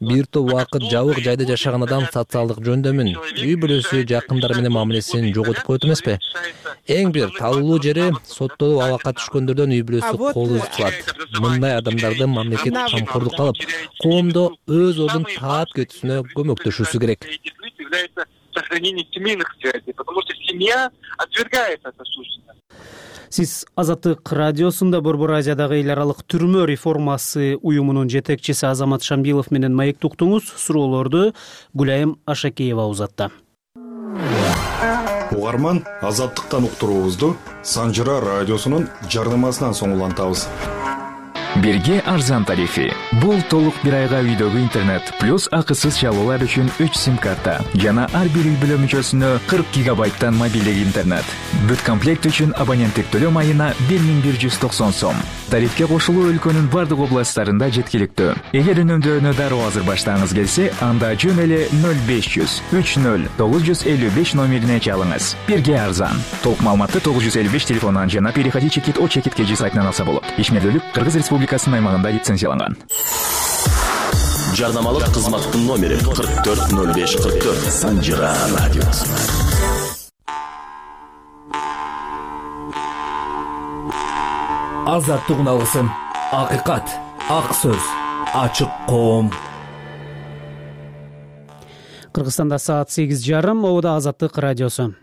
Бир топ убакыт жабык жайда жашаган адам социалдык жөндөмүн, үй бүлөсү, жакындары менен мамилесин жоготуп коет эмеспи? Эң бир талуулуу жери соттолуп абакка түшкөндөрдөн үй бүлөсү кол узатылат. Мындай адамдарды мамлекет камкордукка алып, коомдо өз ордун таап кетүүсүнө көмөктөшүүсү керек. Сохранение семейных связей, потому что семья отвергает это суждение. Сиз Азаттык радиосунда Борбор Азиядагы эл аралык түрмө реформасы уюмунун жетекчиси Азамат Шамбилов менен маектуктуңуз. Суроолорду Гүлайым Ашакеева узатты. Угарман, Азаттыктан уктуруубузду Санжыра радиосунун жардамасынан соң улантабыз. Бирге арзан тарифи. Бул толук бир айга үйдөгү интернет плюс акысыз чалуулар үчүн 3 сим-карта жана ар бир үй бүлө мүчөсүнө 40 гигабайттан мобилдик интернет. Бүт комплект үчүн абоненттик төлөм айына 1190 сом. Тарифке кошулуу өлкөнүн бардык областтарында жеткиликтүү. Эгер үнөмдөөнү дароо азыр баштагыңыз келсе, анда жөн эле 0500 30 955 номерине чалыңыз. Бирге арзан. Толук маалыматты 955 телефонунан жана переходи чекит о чекит кежи сайтынан алса болот. Ишмердүүлүк Кыргыз Республикасынын аймагында лицензияланган. Жардамалык кызматтын номери 440544 Санжыра радиосу. Азаттык алгысын, акыйкат, ак сөз, ачык коом. Кыргызстанда саат 8:30, обода Азаттык радиосу.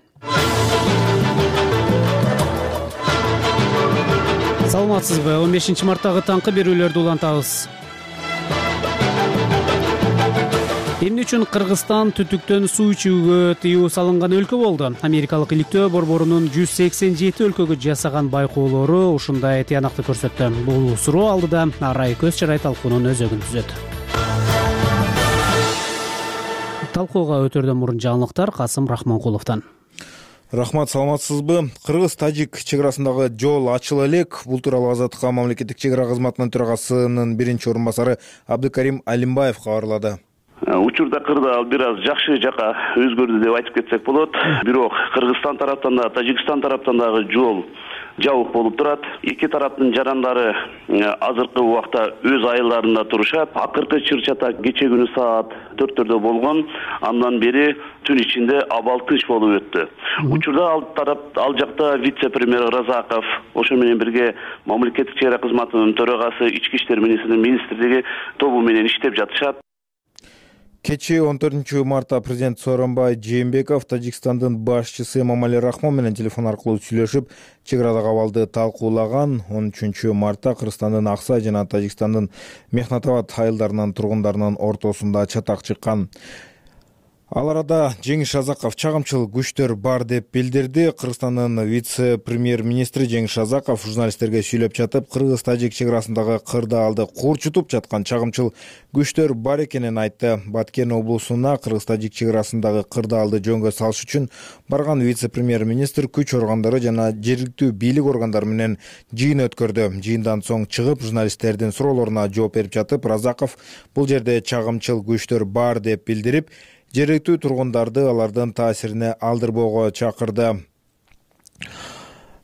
Саламатсызбы? 15 марттагы таңкы берүүлөрдү улантабыз. Эмне үчүн Кыргызстан түтүктөн суу ичүүгө тыюу салынган өлкө болду? Америкалык иликтөө борборунун 187 өлкөгө жасаган байкоолору ушундай тыянакты көрсөттү. Бул суроо алдыда Арай көз чарай талкуунун өзөгүн түзөт. Талкууга өтөрдөн мурун жаңылыктар Касым Рахманкуловдон. Рахмат, саламатсызбы? Кыргыз-тажик чек арасындагы жол ачыла элек. Бул тууралуу Азаттыкка мамлекеттик чек ара кызматынын төрагасынын биринчи орун басары Абдыкарим Алимбаев кабарлады. Учурда кырдаал бир аз жакшы жака өзгөрдү деп айтып кетсек болот. Бирок Кыргызстан тараптан да, Тажикстан тараптан дагы жол жабык болуп турат. Эки тараптын жарандары азыркы убакта өз айылдарында турушат. Акыркы чыр-чатак кече күнү саат 4-төрдө болгон. Андан бери түн ичинде абал тынч болуп өттү. Учурда ал жакта вице-премьер Разаков, ошо менен бирге мамлекеттик чек ара кызматынын төрагасы, ички иштер министрлиги тобу менен иштеп жатышат. Кечээ 14 мартта президент Сооронбай Жээнбеков Тажикстандын башчысы Эмомали Рахмон менен телефон аркылуу сүйлөшүп, чек арадагы абалды талкуулаган. 13 мартта Кыргызстандын Аксай жана Тажикстандын Мехнатабад айылдарынын тургундарынын ортосунда чатак чыккан. Ал арада Жеңиш Азаков чагымчыл күчтөр бар деп билдирди. Кыргызстандын вице-премьер-министри Жеңиш Азаков журналисттерге сүйлөп жатып, Кыргыз-тажик чек арасындагы кырдаалды курчутуп жаткан чагымчыл күчтөр бар экенин айтты. Баткен облусуна Кыргыз-тажик чек арасындагы кырдаалды жөнгө салыш үчүн барган вице-премьер-министр күч органдары жана жергиликтүү бийлик органдары менен жыйын өткөрдү. Жыйындан соң чыгып журналисттердин суроолоруна жооп берип жатып, Разаков бул жерде чагымчыл күчтөр бар деп билдирип, жергиликтүү тургундарды алардын таасирине алдырбоого чакырды.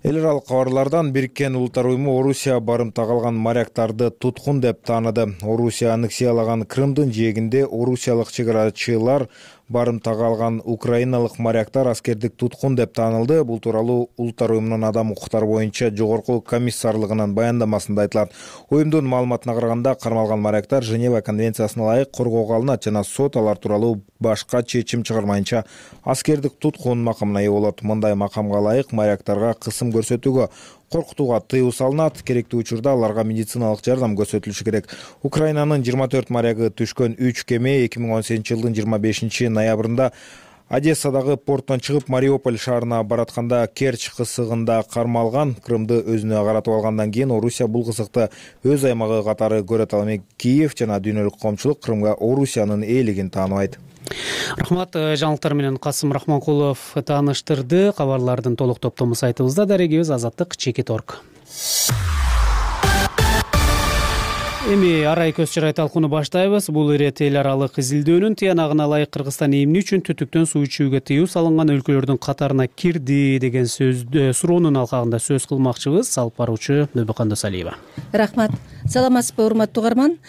Эл аралык кабарлардан Бириккен Улуттар уюму Орусия барымта калган моряктарды туткун деп тааныды. Орусия аннексиялаган Крымдын жээгинде орусиялык чек арачылар барымта калган украиналык моряктар аскердик туткун деп таанылды. Бул тууралуу Улуттар уюмунун адам укуктары боюнча жогорку комиссарлыгынын баяндамасында айтылат. Уюмдун маалыматына караганда, кармалган моряктар Женева конвенциясына ылайык коргоого алынат жана сот алар тууралуу башка чечим чыгармайынча аскердик туткун макамына ээ болот. Мындай макамга ылайык моряктарга кысым көрсөтүүгө, коркутууга тыюу салынат. Керектүү учурда аларга медициналык жардам көрсөтүлүшү керек. Украинанын 24 морягы түшкөн 3 кеме 2018 жылдын 25 ноябрында Одессадагы порттон чыгып Мариуполь шаарына баратканда Керчь кысыгында кармалган. Крымды өзүнө каратып алгандан кийин Орусия бул кысыкты өз аймагы катары көрөт. Ал эми Киев жана дүйнөлүк коомчулук Крымга Орусиянын ээлигин тааныбайт. Рахмат, жаңылыктар менен Касым Рахманкулов тааныштырды. Кабарлардын толук топтому сайтыбызда, дарегибиз azattik.org. Эми Арай көз чарай талкууну баштайбыз. Бул ирет эл аралык изилдөөнүн тыянагына ылайык Кыргызстан эмне үчүн түтүктөн суу ичүүгө тыюу салынган өлкөлөрдүн катарына кирди деген суроонун алкагында сөз кылмакчыбыз. Алып баруучу Нөбөкөн Досалиева. Рахмат. Саламатсызбы, урматтуу угарман?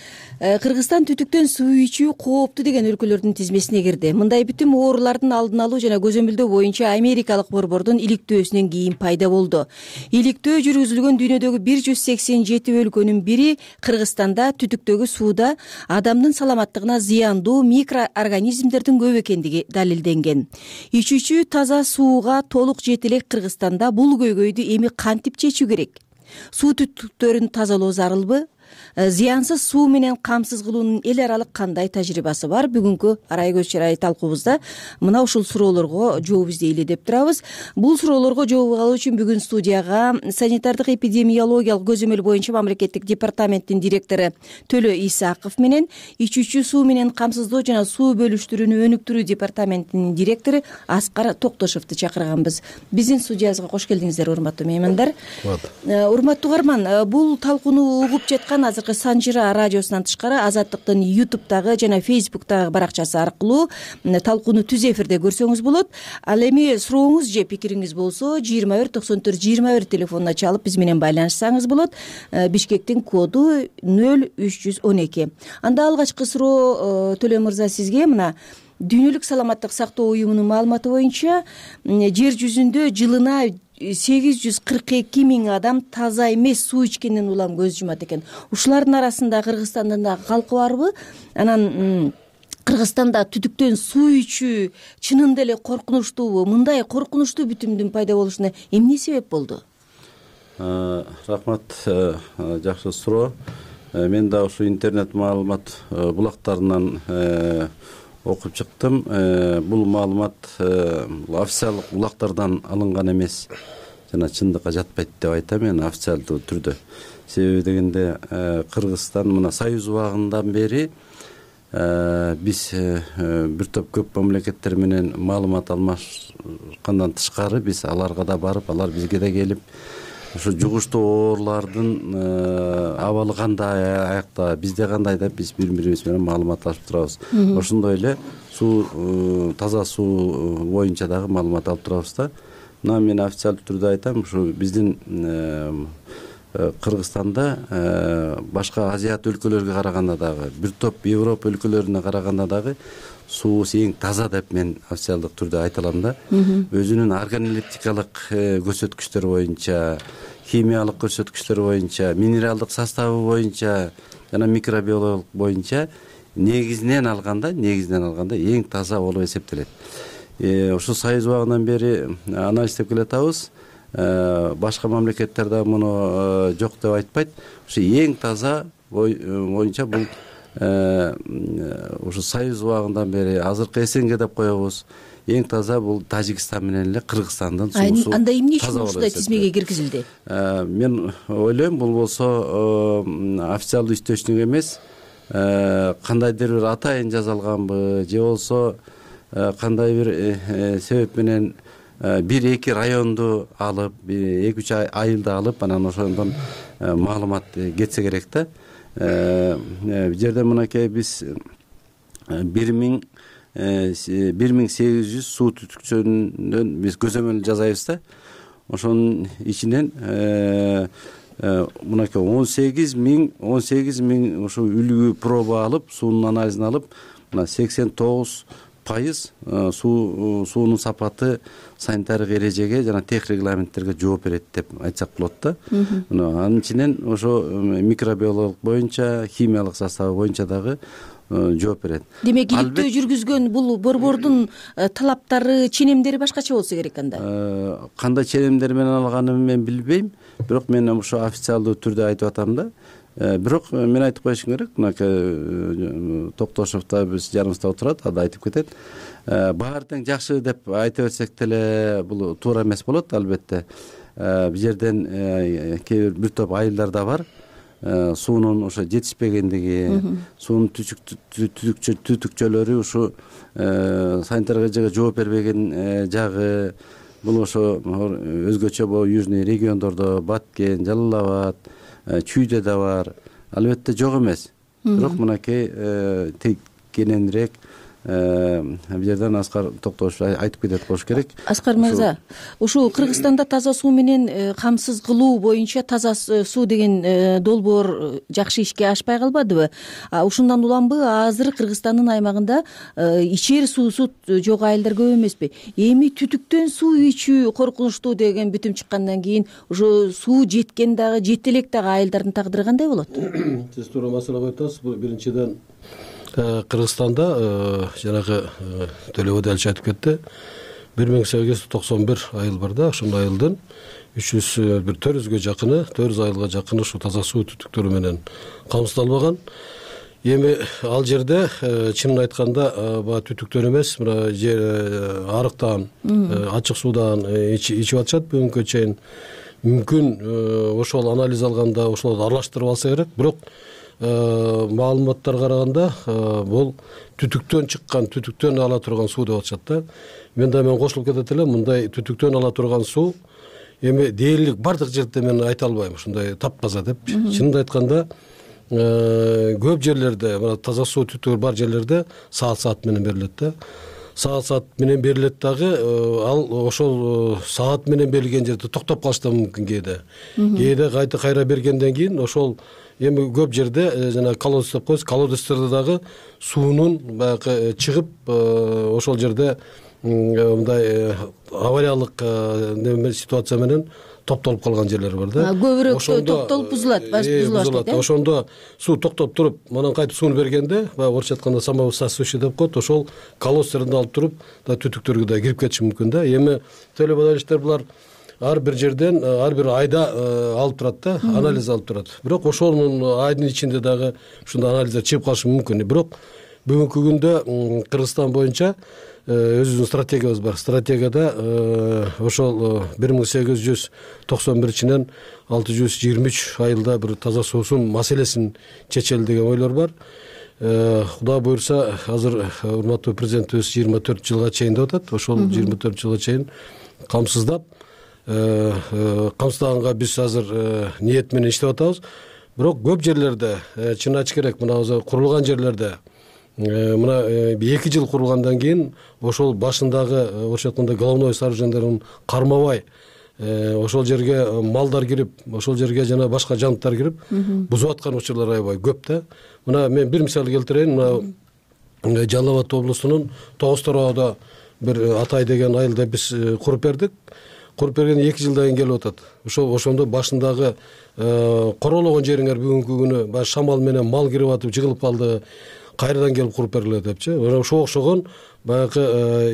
Кыргызстан түтүктөн суу ичүү кооптуу деген өлкөлөрдүн тизмесине кирди. Мындай бүтүм оорулардын алдын алуу жана көзөмөлдөө боюнча Америкалык борбордун иликтөөсүнөн кийин пайда болду. Иликтөө жүргүзүлгөн дүйнөдөгү 187 өлкөнүн бири Кыргызстанда түтүктөгү сууда адамдын саламаттыгына зыяндуу микроорганизмдердин көп экендиги далилденген. Ичүүчү таза сууга толук жете элек Кыргызстанда бул көйгөйдү эми кантип чечүү керек? Суу түтүктөрүн тазалоо зарылбы? зыянсыз суу менен камсыз кылуунун эл аралык кандай тажрыйбасы бар? Бүгүнкү арай көз чырай талкуубузда мына ушул суроолорго жооп издейли деп турабыз. Бул суроолорго жооп алуу үчүн бүгүн студияга санитардык эпидемиологиялык көзөмөл боюнча мамлекеттик департаменттин директору Төлө Исаков менен ичүүчү суу менен камсыздоо жана суу бөлүштүрүүнү өнүктүрүү департаментинин директору Аскар Токтошевду чакырганбыз. Биздин студиябызга кош келдиңиздер, урматтуу меймандар. Урматтуу угарман, бул талкууну угуп жаткан азыркы Санжыра радиосунан тышкары Азаттыктын YouTube'дагы жана Facebook'тагы баракчасы аркылуу талкууну түз эфирде көрсөңүз болот. Ал эми сурооңуз же пикириңиз болсо 2194-21 телефонуна чалып биз менен байланышсаңыз болот. Бишкектин коду 0312. Анда алгачкы суроо Төлө мырза сизге. Мына Дүйнөлүк саламаттык сактоо уюмунун маалыматы боюнча жер жүзүндө жылына 842 миң адам таза эмес суу ичкенден улам көз жумат экен. Ушулардын арасында Кыргызстандын да калкы барбы? Анан Кыргызстанда түтүктөн суу ичүү чынында эле коркунучтуубу? Мындай коркунучтуу бүтүмдүн пайда болушуна эмне себеп болду? Рахмат, жакшы суроо. Мен да ушу интернет маалымат булактарынан окуп чыктым. Бул маалымат официалдык булактардан алынган эмес жана чындыкка жатпайт деп айтам мен официалдуу түрдө. Себеби дегенде Кыргызстан мына Союз убагынан бери биз бир топ көп мамлекеттер менен маалымат алмашкандан тышкары биз аларга да барып, алар бизге да келип ушу жугуштуу оорулардын абалы кандай, аякта бизде кандай деп биз бири-бирибиз менен маалыматлашып турабыз. Ошондой эле суу, таза суу боюнча дагы маалымат алып турабыз да. Мына мен официалдуу түрдө айтам, ушу биздин Кыргызстанда башка Азият өлкөлөргө караганда дагы, бир топ Европа өлкөлөрүнө караганда дагы суусу эң таза деп мен официалдык түрдө айта алам да. Өзүнүн органолептикалык көрсөткүчтөр боюнча, химиялык көрсөткүчтөр боюнча, минералдык составы боюнча жана микробиологиялык боюнча негизинен алганда эң таза болуп эсептелет. Ошо Союз убагынан бери анализдеп келатабыз. Башка мамлекеттер да муну жок деп айтпайт. Ушу эң таза боюнча бул ушу Союз убагынан бери азыркы СНГ деп коебуз. Эң таза бул Тажикстан менен эле Кыргызстандын суусу. Анда эмне үчүн ушундай тизмеге киргизилди? Мен ойлойм, бул болсо официалдуу источник эмес, кандайдыр бир атайын жазалганбы же болсо кандай бир себеп менен бир-эки районду алып, 2-3 айылды алып, анан ошондон маалымат кетсе керек да. Бул жерде мынакей биз 1800 суу түтүкчөнөн биз көзөмөл жасайбыз да. Ошонун ичинен мынакей 18 миң ошо үлгү проба алып, суунун анализин алып, мына 89% суунун сапаты санитардык эрежеге жана тех регламенттерге жооп берет деп айтсак болот да. Анын ичинен ошо микробиологиялык боюнча, химиялык составы боюнча дагы жооп берет. Демек, иликтөө жүргүзгөн бул борбордун талаптары, ченемдери башкача болсо керек анда. Кандай ченемдер менен алганын мен билбейм, бирок мен ошо официалдуу түрдө айтып атам да. Бирок мен айтып коюшум керек, мына Токтошев да биз жаныбызда отурат, ада айтып кетет. Баары тең жакшы деп айта берсек деле бул туура эмес болот, албетте. Бул жерден бир топ айылдар да бар. Суунун ошо жетишпегендиги, суунун түтүкчөлөрү ушу санитардык эрежеге жооп бербеген жагы, бул ошо өзгөчө южный региондордо, Баткен, Жалал Абад, Чүйдө да бар. Албетте жок эмес. Бирок мынакей кененирээк бул жерден Аскар Токтошев айтып кетет болуш керек. Аскар мырза, ушул Кыргызстанда таза суу менен камсыз кылуу боюнча таза суу деген долбоор жакшы ишке ашпай калбадыбы? Ушундан уламбы азыр Кыргызстандын аймагында ичер суусу жок айылдар көп эмеспи? Эми түтүктөн суу ичүү коркунучтуу деген бүтүм чыккандан кийин ошо суу жеткен дагы, жетелек дагы айылдардын тагдыры кандай болот? Сиз туура маселе коюптуз. Бул биринчиден Кыргызстанда жанагы Төлөбөй да айтып кетти. 1891 айыл бар да, ошол айылдын бир 400 жакыны 400 айылга жакыны ушу таза суу түтүктөрү менен камсыздалбаган. Эми ал жерде чынын айтканда баягы түтүктөн эмес, мына арыктан, ачык суудан ичип атышат бүгүнкү чейин. Мүмкүн ошол анализ алганда ошолорду аралаштырып алса керек, бирок маалыматтарга караганда бул түтүктөн чыккан, түтүктөн ала турган суу деп атышат да. Мен кошулуп кетет элем, мындай түтүктөн ала турган суу эми дээрлик бардык жерде мен айта албайм ушундай таппаза деп. Чынын айтканда көп жерлерде, мына таза суу түтүгү бар жерлерде саат менен берилет да. Саат менен берилет дагы, ал ошол саат менен берилген жерде токтоп калышы да мүмкүн кээде. Кээде кайра бергенден кийин ошол эми көп жерде жана колодец деп коебуз, колодецтерде дагы суунун баягы чыгып ошол жерде мындай авариялык ситуация менен топтолуп калган жерлер бар да. Көбүрөөк токтолуп бузулат баштайт. Ошондо суу токтоп туруп, анан кайтып сууну бергенде, баягы орусча айтканда самовысасывающий деп коет, ошол колодцтерден алып туруп да түтүктөргө да кирип кетиши мүмкүн да. Эми төлөп элиштер булар ар бир жерден, ар бир айда алып турат да, анализ алып турат. Бирок ошонун айдын ичинде дагы ушундай анализдер чыгып калышы мүмкүн. Бирок бүгүнкү күндө Кыргызстан боюнча өзүбүздүн стратегиябыз бар. Стратегияда ошол 1891-чинен 623 айылда бир таза суусун маселесин чечели деген ойлор бар. Кудай буйрса, азыр урматтуу президентибиз 24 жылга чейин деп атат. Ошол 24 жылга чейин камсыздап, камсыздаганга биз азыр ниет менен иштеп атабыз. Бирок көп жерлерде, чын айтыш керек, мына азыр курулган жерлерде мына 2 жыл курулгандан кийин ошол башындагы орусча айтканда головной сооруженияларын кармабай ошол жерге малдар кирип, ошол жерге жана башка жаныттар кирип бузуп аткан учурлар аябай көп да. Мына мен бир мисал келтирейин. Мына Жалал Абад облусунун Тогуз Тороодо бир Атай деген айылда биз куруп бердик. Куруп берген 2 жылдан кийин келип атат. Ошондо башындагы корологон жериңер бүгүнкү күнү баягы шамал менен мал кирип атып жыгылып калды. Кайрадан келип куруп берилет депчи. Ошого окшогон баягы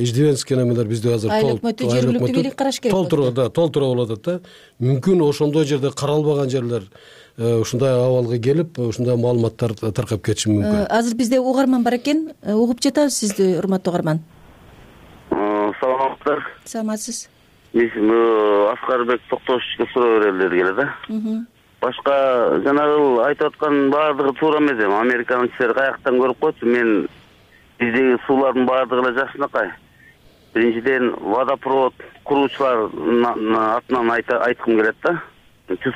иждивенский немелер бизде азыр жергиликтүү бийлик караш керек. Толтура болуп атат да. Мүмкүн ошондой жерде каралбаган жерлер ушундай абалга келип, ушундай маалыматтар таркап кетиши мүмкүн. Азыр бизде угарман бар экен. Угуп жатабыз сизди, урматтуу угарман. Саламатсыздар. Саламатсыз. Аскарбек Токтошевичке суроо берелер келет да. Башка жанагы айтып аткан баардыгы туура эмес. Американын кишилери каяктан көрүп койчу. Мен биздеги суулардын баардыгы эле жакшынакай. Биринчиден водопровод куруучулардын атынан айткым келет да.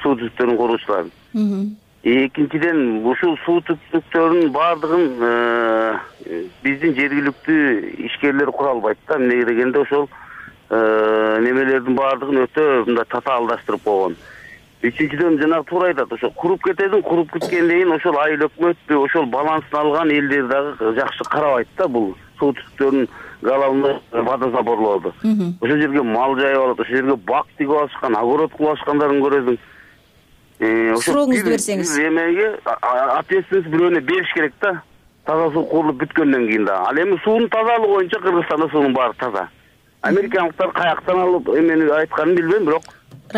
Суу түтүктөрүн куруучуларын. Экинчиден ушул суу түтүктөрүнүн баардыгын биздин жергиликтүү ишкерлер кура албайт да. Эмнеге дегенде ошол немелердин баардыгын өтө мындай татаалдаштырып койгон. Үчүнчүдөн жанагы туура айтат, ошо куруп кетедин, куруп кеткенден кийин ошол айыл өкмөттү, ошол балансын алган элдер дагы жакшы карабайт да бул суу түтүктөрүнүн головной водозаборлорду. Ошол жерге мал жайып алат, ошол жерге бак тигип алышкан, огород кылып алышкандарын көрөсүң. Сурооңузду берсеңиз. Эмеге ответственность бирөөнө бериш керек да. Таза суу курулуп бүткөндөн кийин да. Ал эми суунун тазалыгы боюнча Кыргызстанда суунун баары таза. Америкалыктар каяктан алып эмени айтканын билбейм, бирок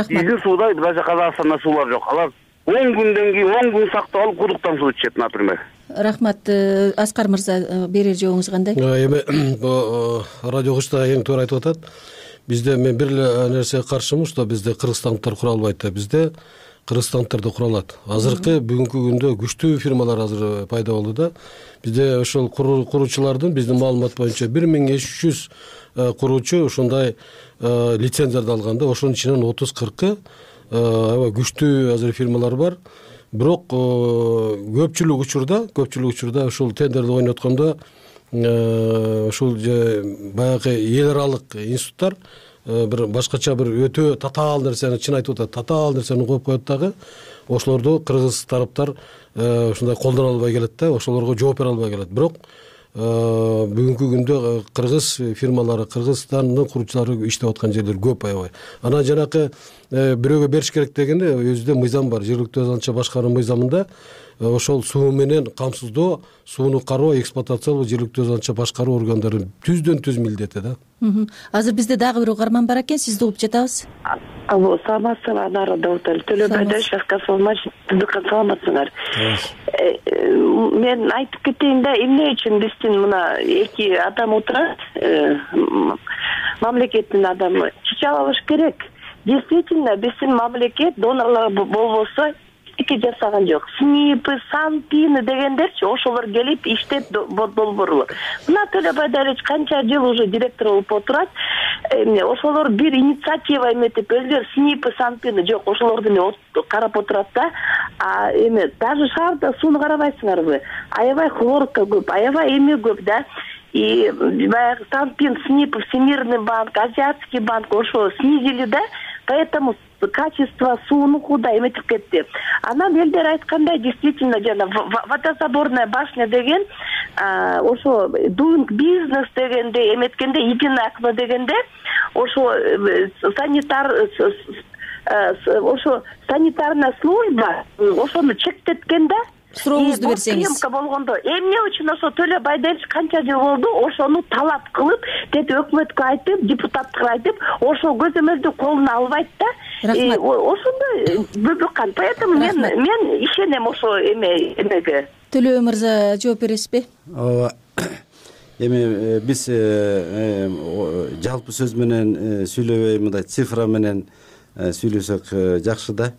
биздин сууда даже Казакстанда суулар жок. Алар 10 күндөн кийин 10 күн сактап алып кудуктан суу ичет, например. Рахмат. Аскар мырза, берер жообуңуз кандай? Эми радио кышта эң туура айтып атат. Бизде мен бир эле нерсеге каршымын, что бизде кыргызстандыктар кура албайт да. Бизде кыргызстандыктар да кура алат. Азыркы бүгүнкү күндө күчтүү фирмалар азыр пайда болду да. Бизде ошол куруучулардын биздин маалымат боюнча 1300 куруучу ушундай лицензияларды алганда, ошонун ичинен 30-40 аябай күчтүү азыр фирмалар бар. Бирок көпчүлүк учурда ушул тендерди ойноткондо ушул баягы эл аралык институттар бир башкача бир өтө татаал нерсени, чын айтып атат, татаал нерсени коюп коет дагы. Ошолорду кыргыз тараптар ушундай колдоно албай келет да, ошолорго жооп бере албай келет. Бирок бүгүнкү күндө кыргыз фирмалары, Кыргызстандын куруучулары иштеп аткан жерлер көп аябай. Анан жанакы бирөөгө бериш керек дегенде өзүдө мыйзам бар. Жергиликтүү азаматча башкаруу мыйзамында ошол суу менен камсыздоо, сууну кароо, эксплуатациялоо, жергиликтүү азанча башкаруу органдарын түздөн түз милдети да. Азыр бизде дагы бир угарман бар экен, сизди угуп жатабыз. Алло, саламатсыңар, Анара Давутали, Төлө Байдашев, саламатсыңар. Мен айтып кетейин да, эмне үчүн биздин мына эки адам отурат, мамлекеттин адамы чечип алыш керек. Действительно, биздин мамлекет донорлор болбосо эки жасаган жок. СНИПы, СанПИны дегендерчи ошолор келип иштеп долбоорлу. Мына Төлө Байдалович канча жыл уже директор болуп отурат. Ошолор бир инициатива эметип өзгөр СНИПы, СанПИны жок, ошолорду карап отурат да. Даже шаарда сууну карабайсыңарбы? Аябай хлорка көп, аябай эме көп да. И баягы СанПИН, СНИП, Всемирный банк, Азиатский банк ошо снизили да. Поэтому качество суунукуда эметип кетти. Анан элдер айткандай, действительно жана водозаборная башня деген ошо doing business дегенде эметкенде, единое окно дегенде ошо санитарная служба ошону чектеткен да. Сурооңузду берсеңиз. Съемка болгондо эмне үчүн ошо Төлө Байдалович канча жыл болду ошону талап кылып, өкмөткө айтып, депутатка айтып, ошол көзөмөлдү колуна албайт да. Ошондой бөбөккан. Поэтому мен ишенем ошо эмеге. Төлө мырза жооп бересизби? Ооба. Эми биз жалпы сөз менен сүйлөбөй, мындай цифра менен сүйлөсөк жакшы да.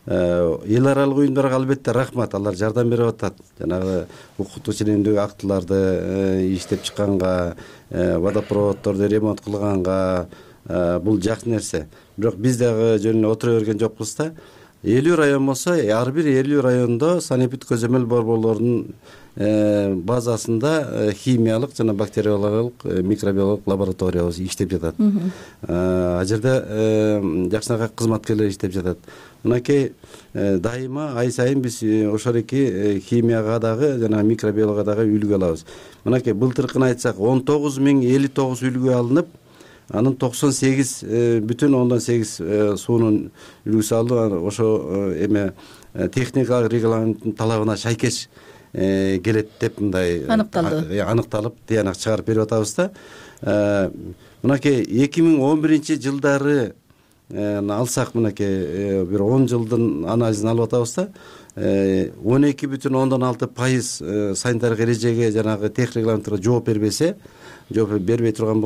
Эл аралык уюмдарга албетте рахмат, алар жардам берип атат. Жанагы укуктук ченемдүү актыларды иштеп чыкканга, водопроводдорду ремонт кылганга бул жакшы нерсе. Бирок биз дагы жөн эле отура берген жокпуз да. 50 район болсо, ар бир 50 райондо санэпид көзөмөл борборлорунун базасында химиялык жана бактериологиялык, микробиологиялык лабораториябыз иштеп жатат. А жерде жакшынака кызматкерлер иштеп жатат. Мынакей дайыма ай сайын биз ошол эки химияга дагы жана микробиологияга дагы үлгү алабыз. Мынакей былтыркын айтсак 19.059 үлгү алынып, анын 98,8 суунун үлгүсү алынып, ошо эме техникалык регламенттин талабына шайкеш келет деп мындай аныкталып тыянак чыгарып берип атабыз да. Мынакей 2011-жылдары алсак, мынакей бир 10 жылдын анализин алып атабыз да. 12,6% санитардык эрежеге жанагы техник регламентке жооп бербесе, жооп бербей турган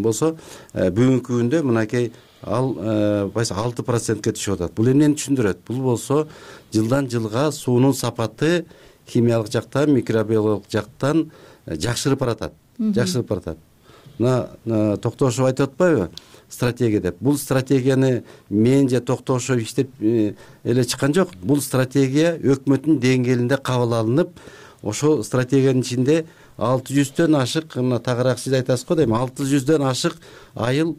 болсо, бүгүнкү күндө мынакей ал 6%ке түшүп атат. Бул эмнени түшүндүрөт? Бул болсо жылдан жылга суунун сапаты химиялык жактан, микробиологиялык жактан жакшырып баратат. Жакшырып баратат. Мына Токтошов айтып атпайбы? Стратегия деп. Бул стратегияны мен же Токтошов иштеп эле чыккан жок. Бул стратегия өкмөттүн деңгээлинде кабыл алынып, ошол стратегиянын ичинде 600дөн ашык, мына тагыраак сиз айтасыз го дейм, 600дөн ашык айыл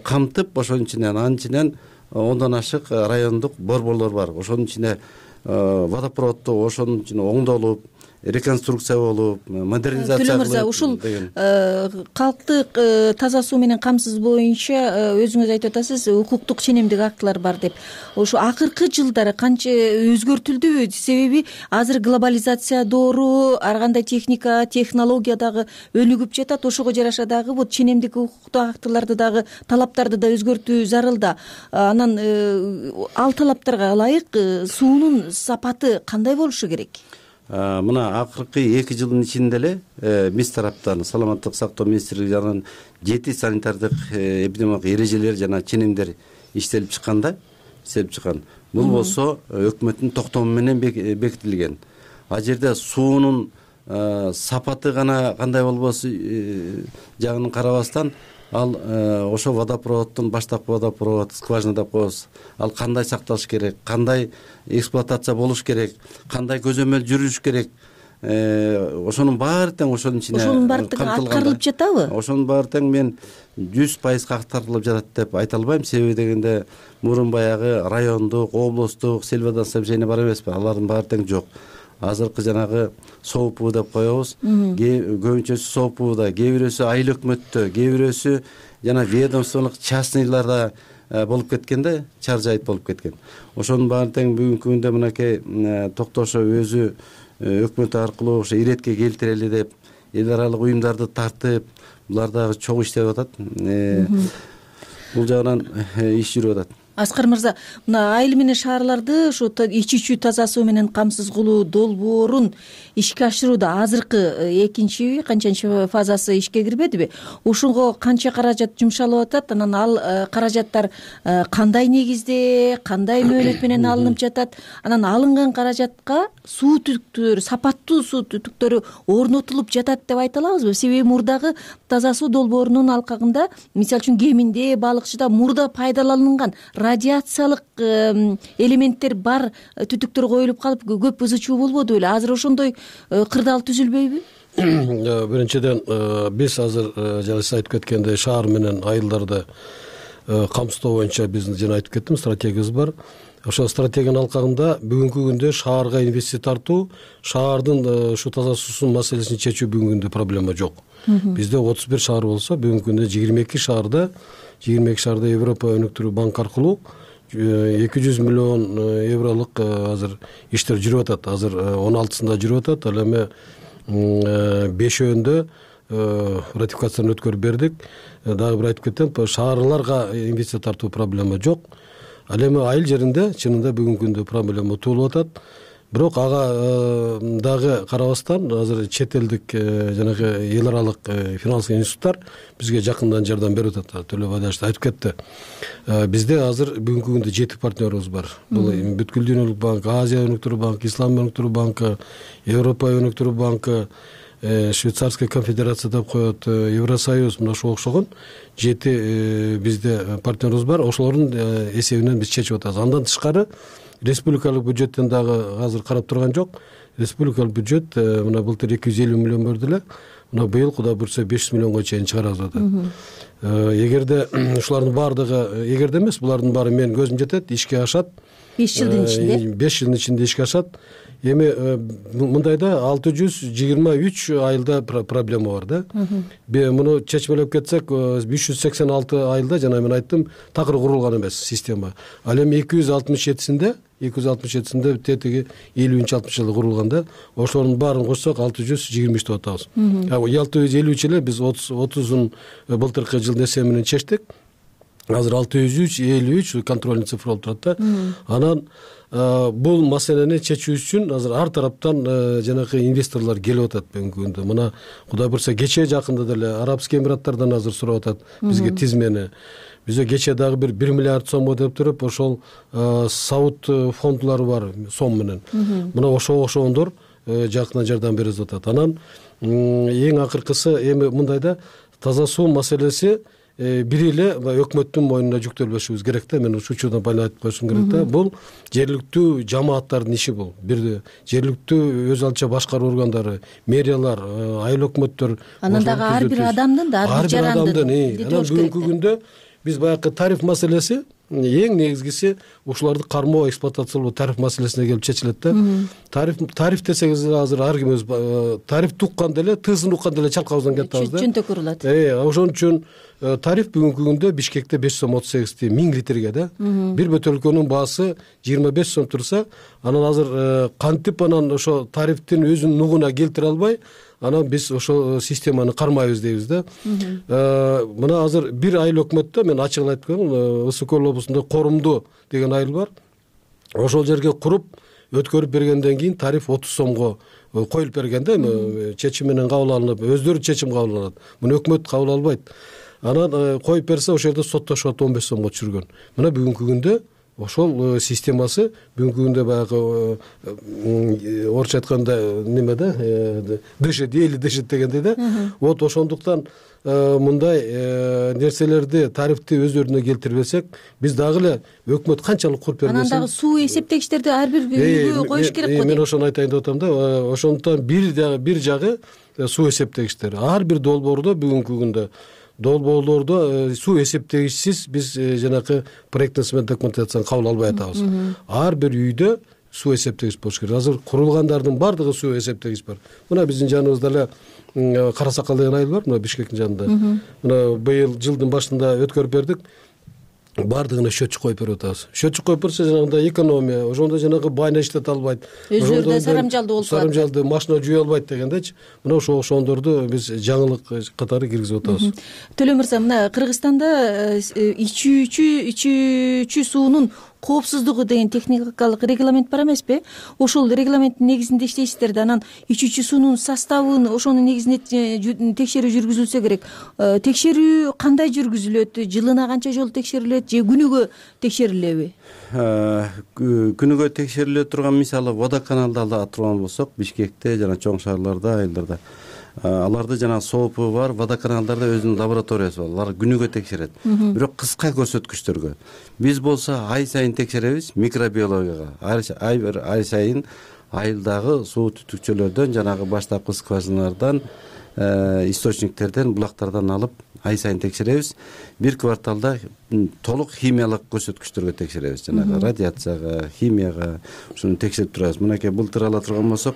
камтып, ошонун ичинен анын ичинен 10дон ашык райондук борборлор бар. Ошонун ичинде водопроводдо ошонун ичинде оңдолуп, реконструкция болуп, модернизация Төлө мырза, ушул калктык таза суу менен камсыз боюнча өзүңүз айтып атасыз, укуктук ченемдик актылар бар деп. Ошо акыркы жылдары канча өзгөртүлдүбү? Себеби азыр глобализация доору, ар кандай техника, технология дагы өнүгүп жатат. Ошого жараша дагы бул ченемдик укуктук актыларды дагы, талаптарды да өзгөртүү зарыл да. Анан ал талаптарга ылайык суунун сапаты кандай болушу керек? Мына акыркы 2 жылдын ичинде эле биз тараптан Саламаттык сактоо министрлиги жанынан 7 санитардык эпидемиологиялык эрежелер жана ченемдер иштелип чыккан. Бул болсо өкмөттүн токтому менен бекитилген. А жерде суунун сапаты гана кандай болбосу жагын карабастан, ал ошо водопроводдун, баштапкы водопровод, скважина деп коебуз. Ал кандай сакталыш керек, кандай эксплуатация болуш керек, кандай көзөмөл жүрүш керек. Ошонун баары тең ошонун ичине аткарылып жатабы? Ошонун баары тең мен 100% аткарылып жатат деп айта албайм. Себеби дегенде мурун баягы райондук, облустук сельводоснабжение бар эмеспи? Алардын баары тең жок. Азыркы жанагы СОУП деп коебуз. Көбүнчөсү СОУПда, кээ бирөөсү айыл өкмөттө, кээ бирөөсү жана ведомстволук частныйларда болуп кеткен да, чар жайыт болуп кеткен. Ошонун баарын тең бүгүнкү күндө мынакей Токтошо өзү өкмөт аркылуу ошо иретке келтирели деп эл аралык уюмдарды тартып, булар дагы чогуу иштеп атат. Бул жагынан иш жүрүп атат. Аскар мырза, мына айыл менен шаарларды ушу ичүүчү таза суу менен камсыз кылуу долбоорун ишке ашырууда азыркы экинчи канчанчы фазасы ишке кирбедиби? Ушунго канча каражат жумшалып атат? Анан ал каражаттар кандай негизде, кандай мөөнөт менен алынып жатат? Анан алынган каражатка суу түтүктөрү, сапаттуу суу түтүктөрү орнотулуп жатат деп айта алабызбы? Себеби мурдагы таза суу долбоорунун алкагында, мисалы үчүн Кеминде, Балыкчыда мурда пайдаланган радиациялык элементтер бар түтүктөр коюлуп калып көп ызы чуу болбоду беле? Азыр ошондой кырдаал түзүлбөйбү? Биринчиден биз азыр жана сиз айтып кеткендей шаар менен айылдарды камсыздоо боюнча биздин жана айтып кеттим стратегиябыз бар. Ошол стратегиянын алкагында бүгүнкү күндө шаарга инвестиция тартуу, шаардын ушу таза суусунун маселесин чечүү бүгүнкү күндө проблема жок. Бизде 31 шаар болсо, бүгүнкү күндө 22 шаарда Европа өнүктүрүү банк аркылуу 200 миллион евролук азыр иштер жүрүп атат. Азыр 16-сында жүрүп атат. Ал эми 5-өндө ратификацияны өткөрүп бердик. Дагы бир айтып кетем, шаарларга инвестиция тартуу проблема жок. Ал эми айыл жеринде чынында бүгүнкү күндө проблема туулуп атат. Бирок ага дагы карабастан азыр чет элдик жанагы эл аралык финансылык институттар бизге жакындан жардам берип атат. Төлөбай да айтып кетти. Бизде азыр бүгүнкү күндө 7 партнерибиз бар. Бул бүткүл дүйнөлүк банк, Азия өнүктүрүү банкы, Ислам өнүктүрүү банкы, Европа өнүктүрүү банкы, Швейцарская конфедерация деп коет, Евросоюз, мына ошого окшогон 7 бизде партнерибиз бар. Ошолордун эсебинен биз чечип атабыз. Андан тышкары республикалык бюджеттен дагы азыр карап турган жок. Республикалык бюджет мына былтыр 250 миллион берди эле. Мына быйыл Кудай буйрса 500 миллионго чейин чыгарабыз атат. Эгерде ушулардын баардыгы, эгерде эмес, булардын баары менин көзүм жетет, ишке ашат. 5 жылдын ичинде? 5 жылдын ичинде ишке ашат. Эми мындайда 623 айылда проблема бар да. Муну чечмелеп кетсек 386 айылда жана мен айттым такыр курулган эмес система. Ал эми 267-синде тетиги 50-60 жылы курулган да. Ошолордун баарын кошсок 623 деп атабыз. 653 эле биз 30-ун былтыркы жылдын эсеби менен чечтик. Азыр 653 контрольный цифра болуп турат да. Анан бул маселени чечүү үчүн азыр ар тараптан жанагы инвесторлор келип атат бүгүнкү күндө. Мына Кудай буйрса кечээ жакында деле Арабский Эмираттардан азыр сурап атат бизге тизмени. Бизде кечээ дагы бир 1 миллиард сомго деп туруп ошол Сауд фондулары бар сом менен. Мына ошондор жакында жардам берип атат. Анан эң акыркысы эми мындайда таза суу маселеси бир эле өкмөттүн мойнуна жүктөлбөшүбүз керек да. Мен ушул учурда байлап айтып коюшум керек да. Бул жергиликтүү жамааттардын иши бул. Бир жергиликтүү өз алча башкаруу органдары, мэриялар, айыл өкмөттөр. Анан дагы ар бир адамдын да, ар бир жарандын. Анан бүгүнкү күндө биз баягы тариф маселеси эң негизгиси ушуларды кармоо, эксплуатациялоо тариф маселесине келип чечилет да. Тариф десеңиз азыр ар ким өз тарифти уккан деле, тысын уккан деле чалкабыздан кетабыз да. Чөнтөк урулат. Ошон үчүн тариф бүгүнкү күндө Бишкекте 538 сом 1000 литрге да. Бир бөтөлкөнүн баасы 25 сом турса, анан азыр кантип анан ошо тарифтин өзүнүн нугуна келтире албай, анан биз ошол системаны кармайбыз дейбиз да. Мына азыр бир айыл өкмөттө мен ачыгын айтып коеюн, Ысык Көл облусунда Корумду деген айыл бар. Ошол жерге куруп өткөрүп бергенден кийин тариф 30 сомго коюлуп берген да. Чечим менен кабыл алынып, өздөрү чечим кабыл алат. Муну өкмөт кабыл албайт. Анан коюп берсе ошол жерде соттошуп 15 сомго түшүргөн. Мына бүгүнкү күндө ошол системасы бүгүнкү күндө баягы орусча айтканда неме да, дышит, эли дышит дегендей да. Вот ошондуктан мындай нерселерди, тарифти өздөрүнө келтирбесек, биз дагы эле өкмөт канчалык куруп бербесин. Анан дагы суу эсептегичтерди ар бир үйгө коюш керек го. Мен ошону айтайын деп атам да. Ошондуктан бир жагы суу эсептегичтер. Ар бир долбоордо бүгүнкү күндө долбоорлордо суу эсептегичсиз биз жанакы проектный сметный документацияны кабыл албай атабыз. Ар бир үйдө суу эсептегич болуш керек. Азыр курулгандардын баардыгы суу эсептегич бар. Мына биздин жаныбызда эле Кара Сакал деген айыл бар, мына Бишкектин жанында. Мына быйыл жылдын башында өткөрүп бердик. баардыгына счетчик коюп берип атабыз. Счетчик коюп берсе жанагындай экономия, ошондо жанагы байна иштете албайт. Өзүлөрү да сарамжалдуу болуп калат. Сарамжалды машина жууя албайт дегендечи. Мына ошондорду биз жаңылык катары киргизип атабыз. Төлө мырза, мына Кыргызстанда ичүүчү суунун коопсуздугу деген техникалык регламент бар эмеспи? Ошол регламенттин негизинде иштейсиздер да, анан ичүүчү суунун составын ошонун негизинде текшерүү жүргүзүлсө керек. Текшерүү кандай жүргүзүлөт? Жылына канча жолу текшерилет же күнүгө текшерилеби? Күнүгө текшериле турган, мисалы водоканалда турган болсок, Бишкекте жана чоң шаарларда, айылдарда аларды жана соопу бар водоканалдарда өзүнүн лабораториясы бар. Алар күнүгө текшерет. Бирок кыска көрсөткүчтөргө. Биз болсо ай сайын текшеребиз микробиологияга. Ай сайын айылдагы суу түтүкчөлөрдөн, жанагы баштапкы скважиналардан, источниктерден, булактардан алып ай сайын текшеребиз. Бир кварталда толук химиялык көрсөткүчтөргө текшеребиз. Жанагы радиацияга, химияга ушуну текшерип турабыз. Мынакей былтыр ала турган болсок,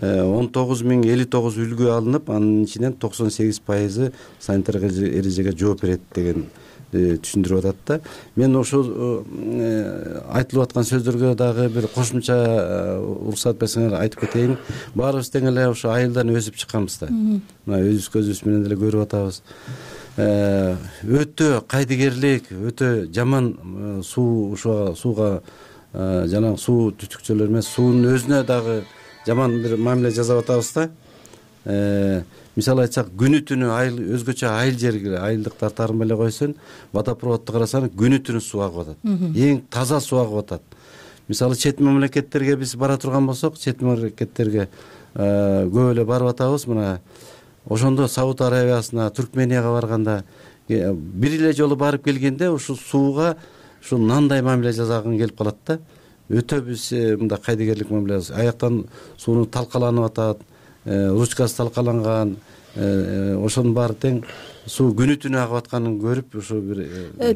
19.059 үлгү алынып, анын ичинен 98% санитардык эрежеге жооп берет деген түшүндүрүп атат да. Мен ошол айтылып аткан сөздөргө дагы бир кошумча уруксат берсеңер айтып кетейин. Баарыбыз тең эле ошо айылдан өсүп чыкканбыз да. Мына өзүбүз көзүбүз менен деле көрүп атабыз. Өтө кайдыгерлик, өтө жаман сууга жана суу түтүкчөлөр эмес, суунун өзүнө дагы жаман бир мамиле жасап атабыз да. Мисалы айтсак, күнү түнү айыл өзгөчө айыл жерге, айылдыктар тарын эле койсун, водопроводду карасаң күнү түнү суу агып атат. Эң таза суу агып атат. Мисалы чет мамлекеттерге биз бара турган болсок, чет мамлекеттерге көп эле барып атабыз. Мына ошондо Сауд Арабиясына, Түркменияга барганда бир эле жолу барып келгенде ушул сууга ушул нандай мамиле жасаган келип калат да. Өтө биз мындай кайдыгерлик мамиле, аяктан сууну талкаланып атат, ручкасы талкаланган, ошонун баары тең суу күнү түнү агып атканын көрүп ушу бир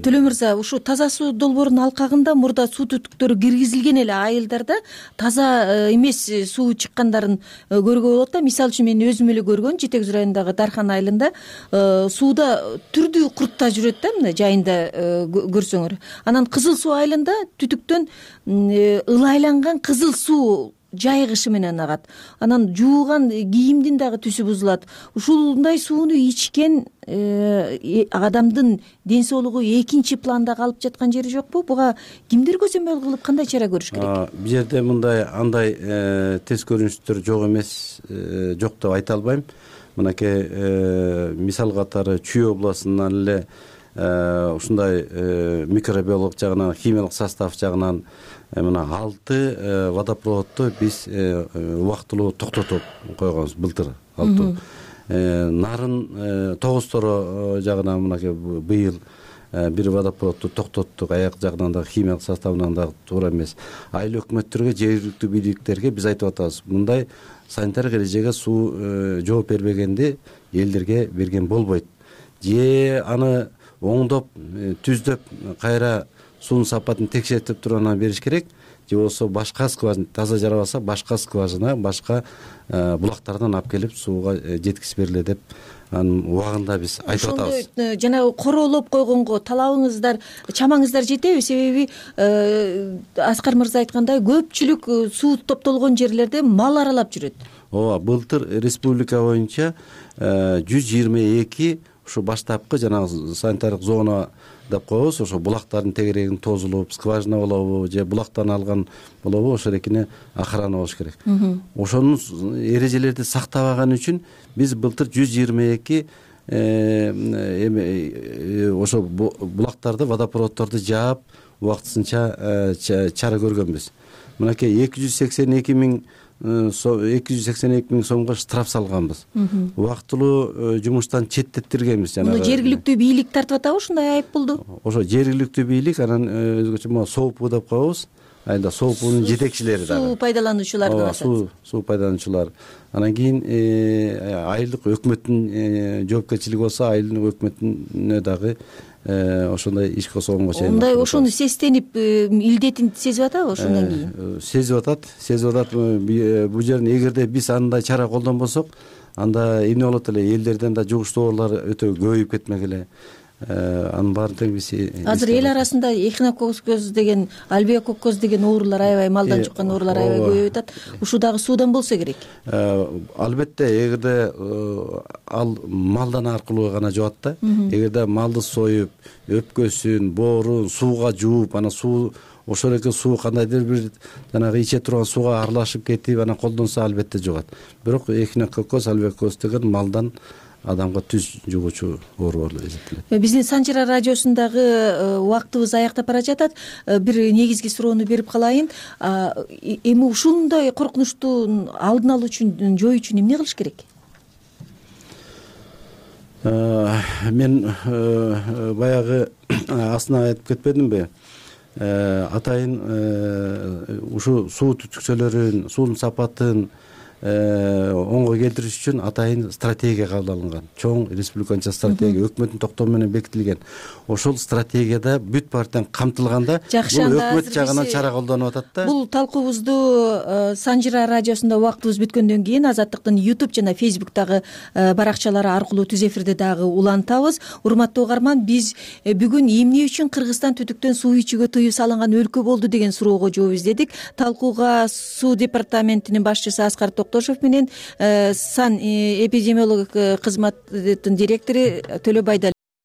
Төлө мырза, ушу таза суу долбоорунун алкагында мурда суу түтүктөрү киргизилген эле айылдарда таза эмес суу чыккандарын көргө болот да. Мисалы үчүн мен өзүм эле көргөн Жетекөз районундагы Дархан айылында сууда түрдүү курттар жүрөт да, мына жайында көрсөңөр. Анан Кызыл суу айылында түтүктөн ылайланган кызыл суу жайгышы менен агат. Анан жууган кийимдин дагы түсү бузулат. Ушундай сууну ичкен адамдын ден соолугу экинчи планда калып жаткан жери жокпу? Буга кимдер көзөмөл кылып кандай чара көрүш керек? Бул жерде мындай андай тез көрүнүштөр жок эмес, жок деп айта албайм. Мынакей мисал катары Чүй областынан эле ушундай микробиолог жагынан, химиялык состав жагынан мына 6 водопроводду биз убактылуу токтотуп койгонбуз былтыр. 6. Нарын Тогусторо жагынан мынакей быйыл бир водопроводду токтоттук. Аяк жагынан да химиялык составынан да туура эмес. Айыл өкмөттөргө, жергиликтүү бийликтерге биз айтып атабыз. Мындай санитардык эрежеге суу жооп бербегенди элдерге берген болбойт. Же аны оңдоп, түздөп, кайра суунун сапатын текшертип туруп анан бериш керек. Же болсо башка скважина таза жарабаса, башка скважина, башка булактардан алып келип сууга жеткизип берле деп анын убагында биз айтып атабыз. Ошондой жанагы короолоп койгонго талабыңыздар, чамаңыздар жетеби? Себеби Аскар мырза айткандай, көпчүлүк суу топтолгон жерлерде мал аралап жүрөт. Ооба, былтыр республика боюнча 122 ушу баштапкы жанагы санитардык зона деп коебуз, ошо булактардын тегерегин тозулуп, скважина болобу же булактан алган болобу, ошол экини охрана болуш керек. Ошонун эрежелерди сактабаган үчүн биз былтыр 122 ошо булактарды, водопроводдорду жаап убактысынча чара көргөнбүз. Мынакей 282 миң сомго штраф салганбыз. Убактылуу жумуштан четтеттиргенбиз. Муну жергиликтүү бийлик тартып атабы ушундай айып болду? Ошо жергиликтүү бийлик, анан өзгөчө СООПУ деп коебуз. Айда СООПУнун жетекчилери дагы. Суу пайдалануучулар деп атат. Суу пайдалануучулар. Анан кийин айылдык өкмөттүн жоопкерчилиги болсо, айылдын өкмөтүнө дагы ошондой иш козгогонго чейин. Ондай ошону сезтенип, илдетин сезип атабы ошондон кийин? Сезип атат. Бул жерин эгерде биз андай чара колдонбосок, анда эмне болот эле, элдерден да жугуштуу оорулар өтө көбөйүп кетмек эле. анын баарын тең биз азыр эл арасында эхинококоз деген альвеококоз деген оорулар аябай малдан чыккан оорулар аябай көбөйүп атат. Ушул дагы суудан болсо керек. Албетте эгерде ал малдан аркылуу гана жугат да. Эгерде малды союп, өпкөсүн, боорун сууга жууп, анан суу ошол эле суу кандайдыр бир жанагы иче турган сууга аралашып кетип анан колдонсо албетте жугат. Бирок эхинококоз, альвеококоз деген малдан адамга түз жугуучу оору болуп эсептелет. Биздин Санжыра радиосундагы убактыбыз аяктап бара жатат. Бир негизги суроону берип калайын. Эми ушундай коркунучту алдын алуу үчүн, жоюу үчүн эмне кылыш керек? Мен баягы астына айтып кетпедимби? Атайын ушу суу түтүкчөлөрүн, суунун сапатын оңго келтириш үчүн атайын стратегия кабыл алынган. Чоң республиканча стратегия өкмөттүн токтому менен бекитилген. Ошол стратегияда бүт партиян камтылганда бул өкмөт жагынан чара колдонуп атат да. Бул талкуубузду Санжыра радиосунда убактыбыз бүткөндөн кийин Азаттыктын YouTube жана Facebook'тагы баракчалары аркылуу түз эфирде дагы улантабыз. Урматтуу угарман, биз бүгүн эмне үчүн Кыргызстан түтүктөн суу ичүүгө тыюу салынган өлкө болду деген суроого жооп издедик. Талкууга суу департаментинин башчысы Аскар Токтошов менен сан эпидемиологиялык кызматтын директору Төлөбай